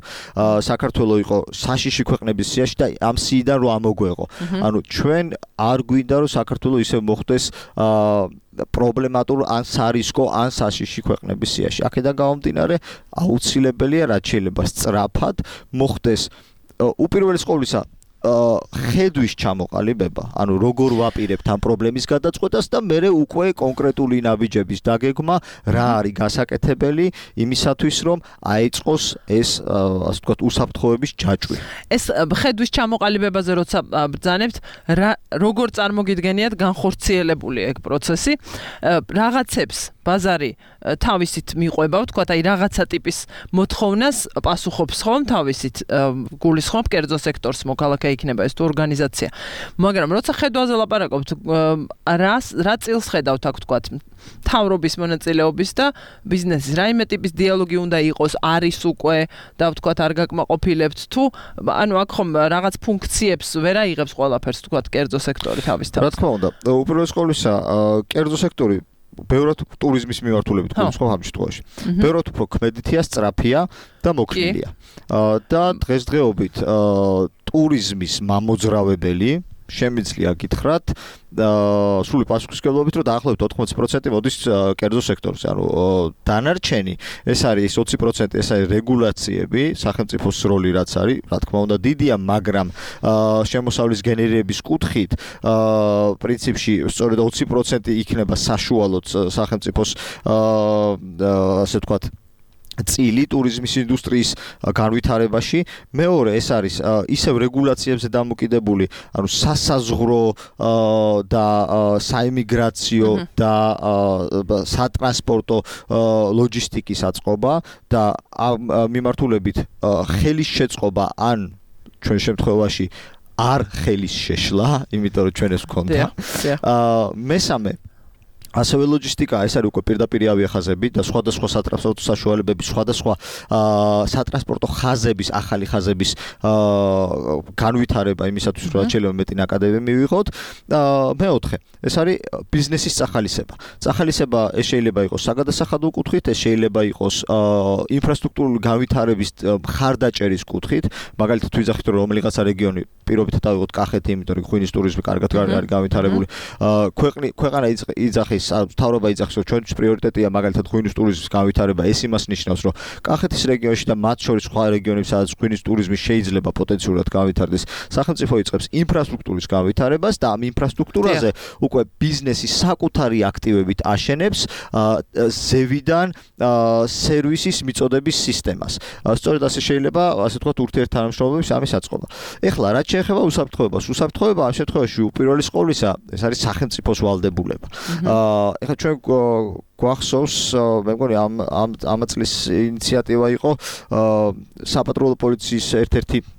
საქართველოს იყო საშიში ქვეყნების სიაში და ამ სიიდან რომ ამოგვეღო. ანუ ჩვენ არ გვინდა რომ საქართველოს ისე მოხდეს პრობლემატურ ან სარისკო ან საშიში ქვეყნების სიაში. აქედან გამომდინარე აუცილებელია რაც შეიძლება სწრაფად მოხდეს უპირველეს ყოვლისა ხედვის ჩამოყალიბება, ანუ როგორ ვაპირებთ ამ პრობლემის გადაწყვეტას და მერე უკვე კონკრეტული ნაბიჯების დაგეგმა, რა არის გასაკეთებელი იმისათვის, რომ აეწყოს ეს, ასე ვთქვათ, უსაფრთხოების ჯაჭვი. ეს ხედვის ჩამოყალიბებაზე როცა ბრძანებთ, როგორ წარმოგიდგენიათ განხორციელებული ეგ პროცესი, რაღაცებს ბაზარი თავისით მიყვება, ვთქვათ, აი რაღაცა ტიპის მოთხოვნას პასუხობს ხომ თავისით გულისხმობ კერძო სექტორს, მოქალაქე იქნება ეს თუ ორგანიზაცია. მაგრამ როცა ხედვაზე ლაპარაკობთ, რა წილს ხედავთ აქ ვთქვათ, თავრობის მონაწილეობის და ბიზნესის რაიმე ტიპის დიალოგი უნდა იყოს, არის უკვე და ვთქვათ არ გაკმაყოფილებთ თუ ანუ აქ ხომ რაღაც ფუნქციებს ვერ აიღებს ყველაფერს ვთქვათ კერძო სექტორი თავის თავს. რა თქმა უნდა, უპირველეს ყოვლისა, კერძო სექტორი ბევრად ტურიზმის მიმართულებით გულისხმობ ამ შემთხვევაში. ბევრად უფრო ქმედითია, სწრაფია და მოქნილია. და დღესდღეობით ტურიზმის მამოძრავებელი შემიძლია გითხრათ სრული პასუხისმგებლობით რომ დაახლოებით 80% მოდის კერძო სექტორზე. ანუ დანარჩენი ეს არის 20% ეს არის რეგულაციები, სახელმწიფოს როლი რაც არის, რა თქმა უნდა დიდია, მაგრამ შემოსავლის გენერირების კუთხით პრინციპში სწორედ 20% იქნება საშუალოდ სახელმწიფოს ასე ვთქვათ წილი ტურიზმის ინდუსტრიის განვითარებაში. მეორე ეს არის ისევ რეგულაციებზე დამოკიდებული, ანუ სასაზღვრო და საიმიგრაციო და სატრანსპორტო ლოჯისტიკის აწყობა და მიმართულებით ხელის შეწყობა ან ჩვენ შემთხვევაში არ ხელის შეშლა, იმიტომ რომ ჩვენ ეს გვქონდა. მესამე ასევე ლოჯისტიკა, ეს არის უკვე პირდაპირ ავიახაზები და სხვადასხვა სატრანსპორტო საშუალებები, სხვადასხვა სატრანსპორტო ხაზების, ახალი ხაზების განვითარება იმისათვის, რომ შეიძლება მეტი ნაკადები მივიღოთ. მეოთხე, ეს არის ბიზნესის წახალისება. წახალისება ეს შეიძლება იყოს საგადასახადო კუთხით, ეს შეიძლება იყოს ინფრასტრუქტურული განვითარების მხარდაჭერის კუთხით. მაგალითად, ვიძახით რომ რომელიღაცა რეგიონი პირობითად ავიღოთ კახეთი, იმიტომ რომ ღვინის ტურიზმი კარგად არის განვითარებული. ქვეყანა იძახის თავრობა იძახის, რომ ჩვენთვის პრიორიტეტია მაგალითად ღვინის ტურიზმის განვითარება. ეს იმას ნიშნავს, რომ კახეთის რეგიონში და მათ შორის სხვა რეგიონებში, სადაც ღვინის ტურიზმი შეიძლება პოტენციურად განვითარდეს, სახელმწიფო იწყებს ინფრასტრუქტურის განვითარებას და ამ ინფრასტრუქტურაზე უკვე ბიზნესის საკუთარი აქტივებით აშენებს ზევიდან სერვისის მიწოდების სისტემას. სწორედ ასე შეიძლება, ასე ვთქვათ, ურთიერთთანამშრომლობის ამის აწყობა. ეხლა რაც შეეხება უსაფრთხოებას, უსაფრთხოება ამ შემთხვევაში უპირველეს ყოვლისა ეს არის სახელმწიფოს ვალდებულება. ეხლა ჩვენ გვახსოვს, მე მგონი ამ წლის ინიციატივა იყო საპატრულო პოლიციის ერთ-ერთი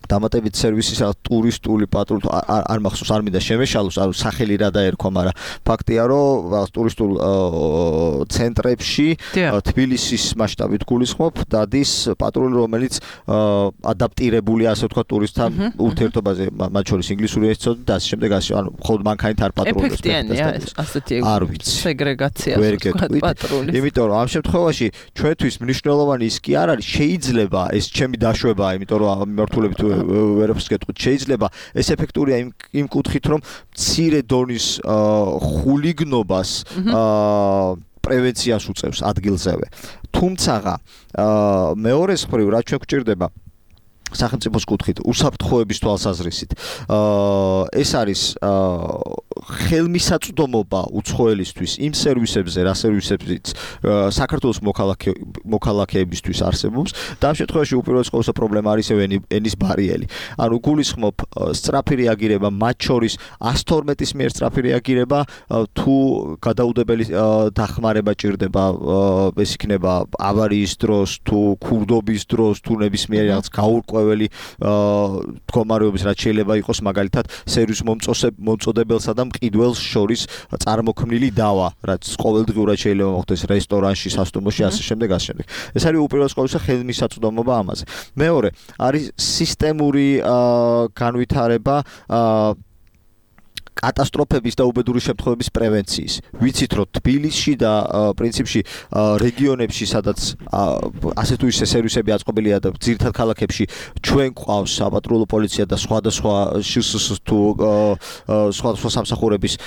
დამატებით სერვისის ტურისტული პატრული არ მახსოვს, არ მინდა შემეშალოს, ანუ სახელი რა დაერქვა, მაგრამ ფაქტია, რომ ტურისტულ ცენტრებში თბილისის მასშტაბით გულისხმობ, დადის პატრული, რომელიც ადაპტირებულია, ასე ვთქვათ, ტურისტთან ურთიერთობაზე, მათ შორის ინგლისური ეცოდი და ასე შემდეგ, ანუ მხოლოდ მანქანით არ პატრულობს. ეფექტიანია ასეთი სეგრეგაცია, პატრული. იმიტომ რომ ამ შემთხვევაში ჩვენთვის მნიშვნელოვანი ის კი არ არის, შეიძლება ეს ჩემი დაშვებაა, იმიტომ რომ მიმართულებით ვერაფერს გეტყვით, შეიძლება ეს ეფექტურია იმ კუთხით, რომ მცირე დონის ხულიგნობას პრევენციას უწევს ადგილზევე. თუმცა მეორე მხრივ რაც ჩვენ გვჭირდება სახელმწიფოს კუთხით უსაფრთხოების თვალსაზრისით ეს არის ხელმისაწვდომობა უცხოელისთვის იმ სერვისებზე, რა სერვისებიც საქართველოს მოქალაქეებისთვის არსებობს და ამ შემთხვევაში უპირველეს ყოვლისა პრობლემა არის ენის ბარიერი. ანუ გულისხმობ სწრაფი რეაგირება, მათ შორის 112-ის მიერ სწრაფი რეაგირება, თუ გადაუდებელი დახმარება ჭირდება, ეს იქნება ავარიის დროს, თუ ქურდობის დროს, თუ ნებისმიერი რაღაც გაურკვეველი მდგომარეობის რაც შეიძლება იყოს, მაგალითად სერვის მომწოდებელსა და მყიდველს შორის წარმოქმნილი დავა, რაც ყოველდღიურად შეიძლება მოხდეს რესტორანში, სასტუმროში, ასე შემდეგ, ასე შემდეგ. ეს არის უპირველეს ყოვლისა ხელმისაწვდომობა ამაზე. მეორე არის სისტემური განვითარება კატასტროფების და უბედური შემთხვევების პრევენციის. ვიცით, რომ თბილისში და პრინციპში რეგიონებში, სადაც ასე თუ ისე სერვისები აწყობილია და ძირითად ქალაქებში ჩვენ გვყავს საპატრულო პოლიცია და სხვადასხვა შსს თუ სხვადასხვა სამსახურების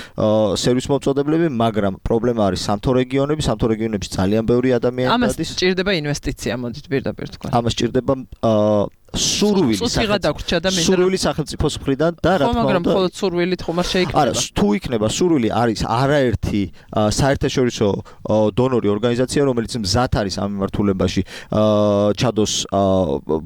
სერვის მომწოდებლები, მაგრამ პრობლემა არის სამთო რეგიონებში ძალიან ბევრი ადამიანი დადის. ამას სჭირდება ინვესტიცია, მოდით პირდაპირ თქვა. ამას სჭირდება სურვილი სახელმწიფოს მხრიდან და რა თქმა უნდა, მაგრამ მხოლოდ სურვილით ხომ არ შეიქნება. არა, თუ იქნება სურვილი, არის არაერთი საერთაშორისო დონორი ორგანიზაცია, რომელიც მზად არის ამ მიმართულებაში ჩადოს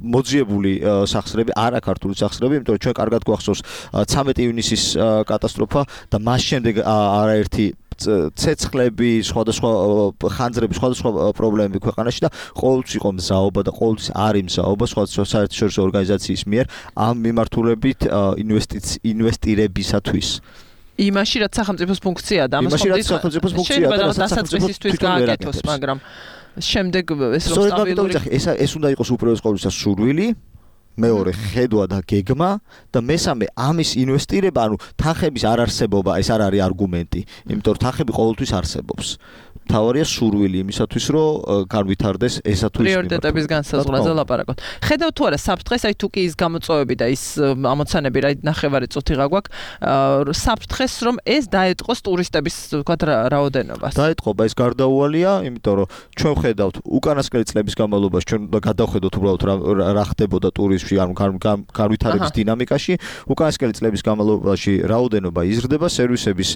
მოძიებული სახსრები, არა ქართული სახსრები, იმიტომ რომ ჩვენ კარგად გვახსოვს 13 ივნისის კატასტროფა და მას შემდეგ არაერთი ცეცხლები, სხვადასხვა ხანძრები, სხვადასხვა პრობლემები ქვეყანაში და ყოველთვის იყო მზაობა და ყოველთვის არის მზაობა სხვადასხვა საერთაშორისო ორგანიზაციის მიერ ამ მიმართულებით ინვესტირებისათვის. იმაში რაც სახელმწიფოს ფუნქციაა და ამას შეიძლება დასაწყისისთვის გააკეთოს, მაგრამ შემდეგ ეს რომ სტაბილური ეს უნდა იყოს უპირველეს ყოვლისა სურვილი, მეორე ხედვა და გეგმა და მესამე ამის ინვესტირება, ანუ თანხების არ არსებობა, ეს არ არის არგუმენტი, იმიტომ რომ თანხები ყოველთვის არსებობს. თავარია სურვილი იმისათვის, რომ განვითარდეს ესა თუ ის პრიორიტეტების განსაზღვრაზე ლაპარაკობთ. ხედავ თუ არა საფრთხეს, აი თუ კი ის გამოწვევები და ის ამოცანები რა ნახევარი წუთი გაგვაქვს, საფრთხეს რომ ეს დაეტყოს ტურისტების ვთქვათ რაოდენობას. დაეტყობა ეს გარდაუვალია, იმიტომ რომ ჩვენ ვხედავთ უკანასკნელი წლების განმავლობაში ჩვენ უნდა გადავხედოთ უბრალოდ რა ხდებოდა ტურიზმში, ანუ განვითარების დინამიკაში, უკანასკნელი წლების განმავლობაში რაოდენობა იზრდება, სერვისების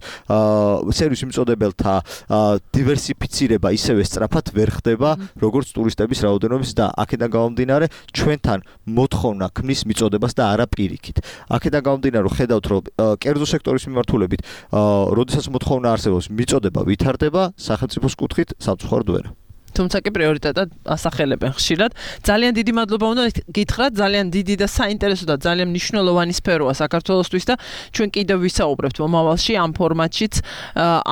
მიწოდებელთა დივერსიფიცირება ისევე სწრაფად ვერ ხდება, როგორც ტურისტების რაოდენობის და აქედან გამომდინარე ჩვენთან მოთხოვნა ქმნის მიწოდებას და არა პირიქით. აქედან გამომდინარე რომ ხედავთ რომ კერძო სექტორის მიმართულებით, როდესაც მოთხოვნა არსებობს, მიწოდება ვითარდება, სახელმწიფოს კუთხით სამწუხაროდ ვერ. თუმცა კი პრიორიტეტად ასახელებენ ხშირად. ძალიან დიდი მადლობა უნდა გითხრათ, ძალიან დიდი და საინტერესო და ძალიან მნიშვნელოვანი სფეროა საქართველოსთვის და ჩვენ კიდევ ვისაუბრებთ მომავალში ამ ფორმატშიც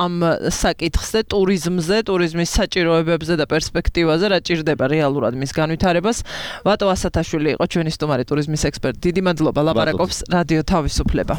ამ საკითხზე, ტურიზმზე, ტურიზმის საჭიროებებზე და პერსპექტივაზე, რა ჭირდება რეალურად მის განვითარებას. ვატო ასათაშვილი იყო ჩვენი სტუმარი, ტურიზმის ექსპერტი. დიდი მადლობა, ლაპარაკობს რადიო თავისუფლება.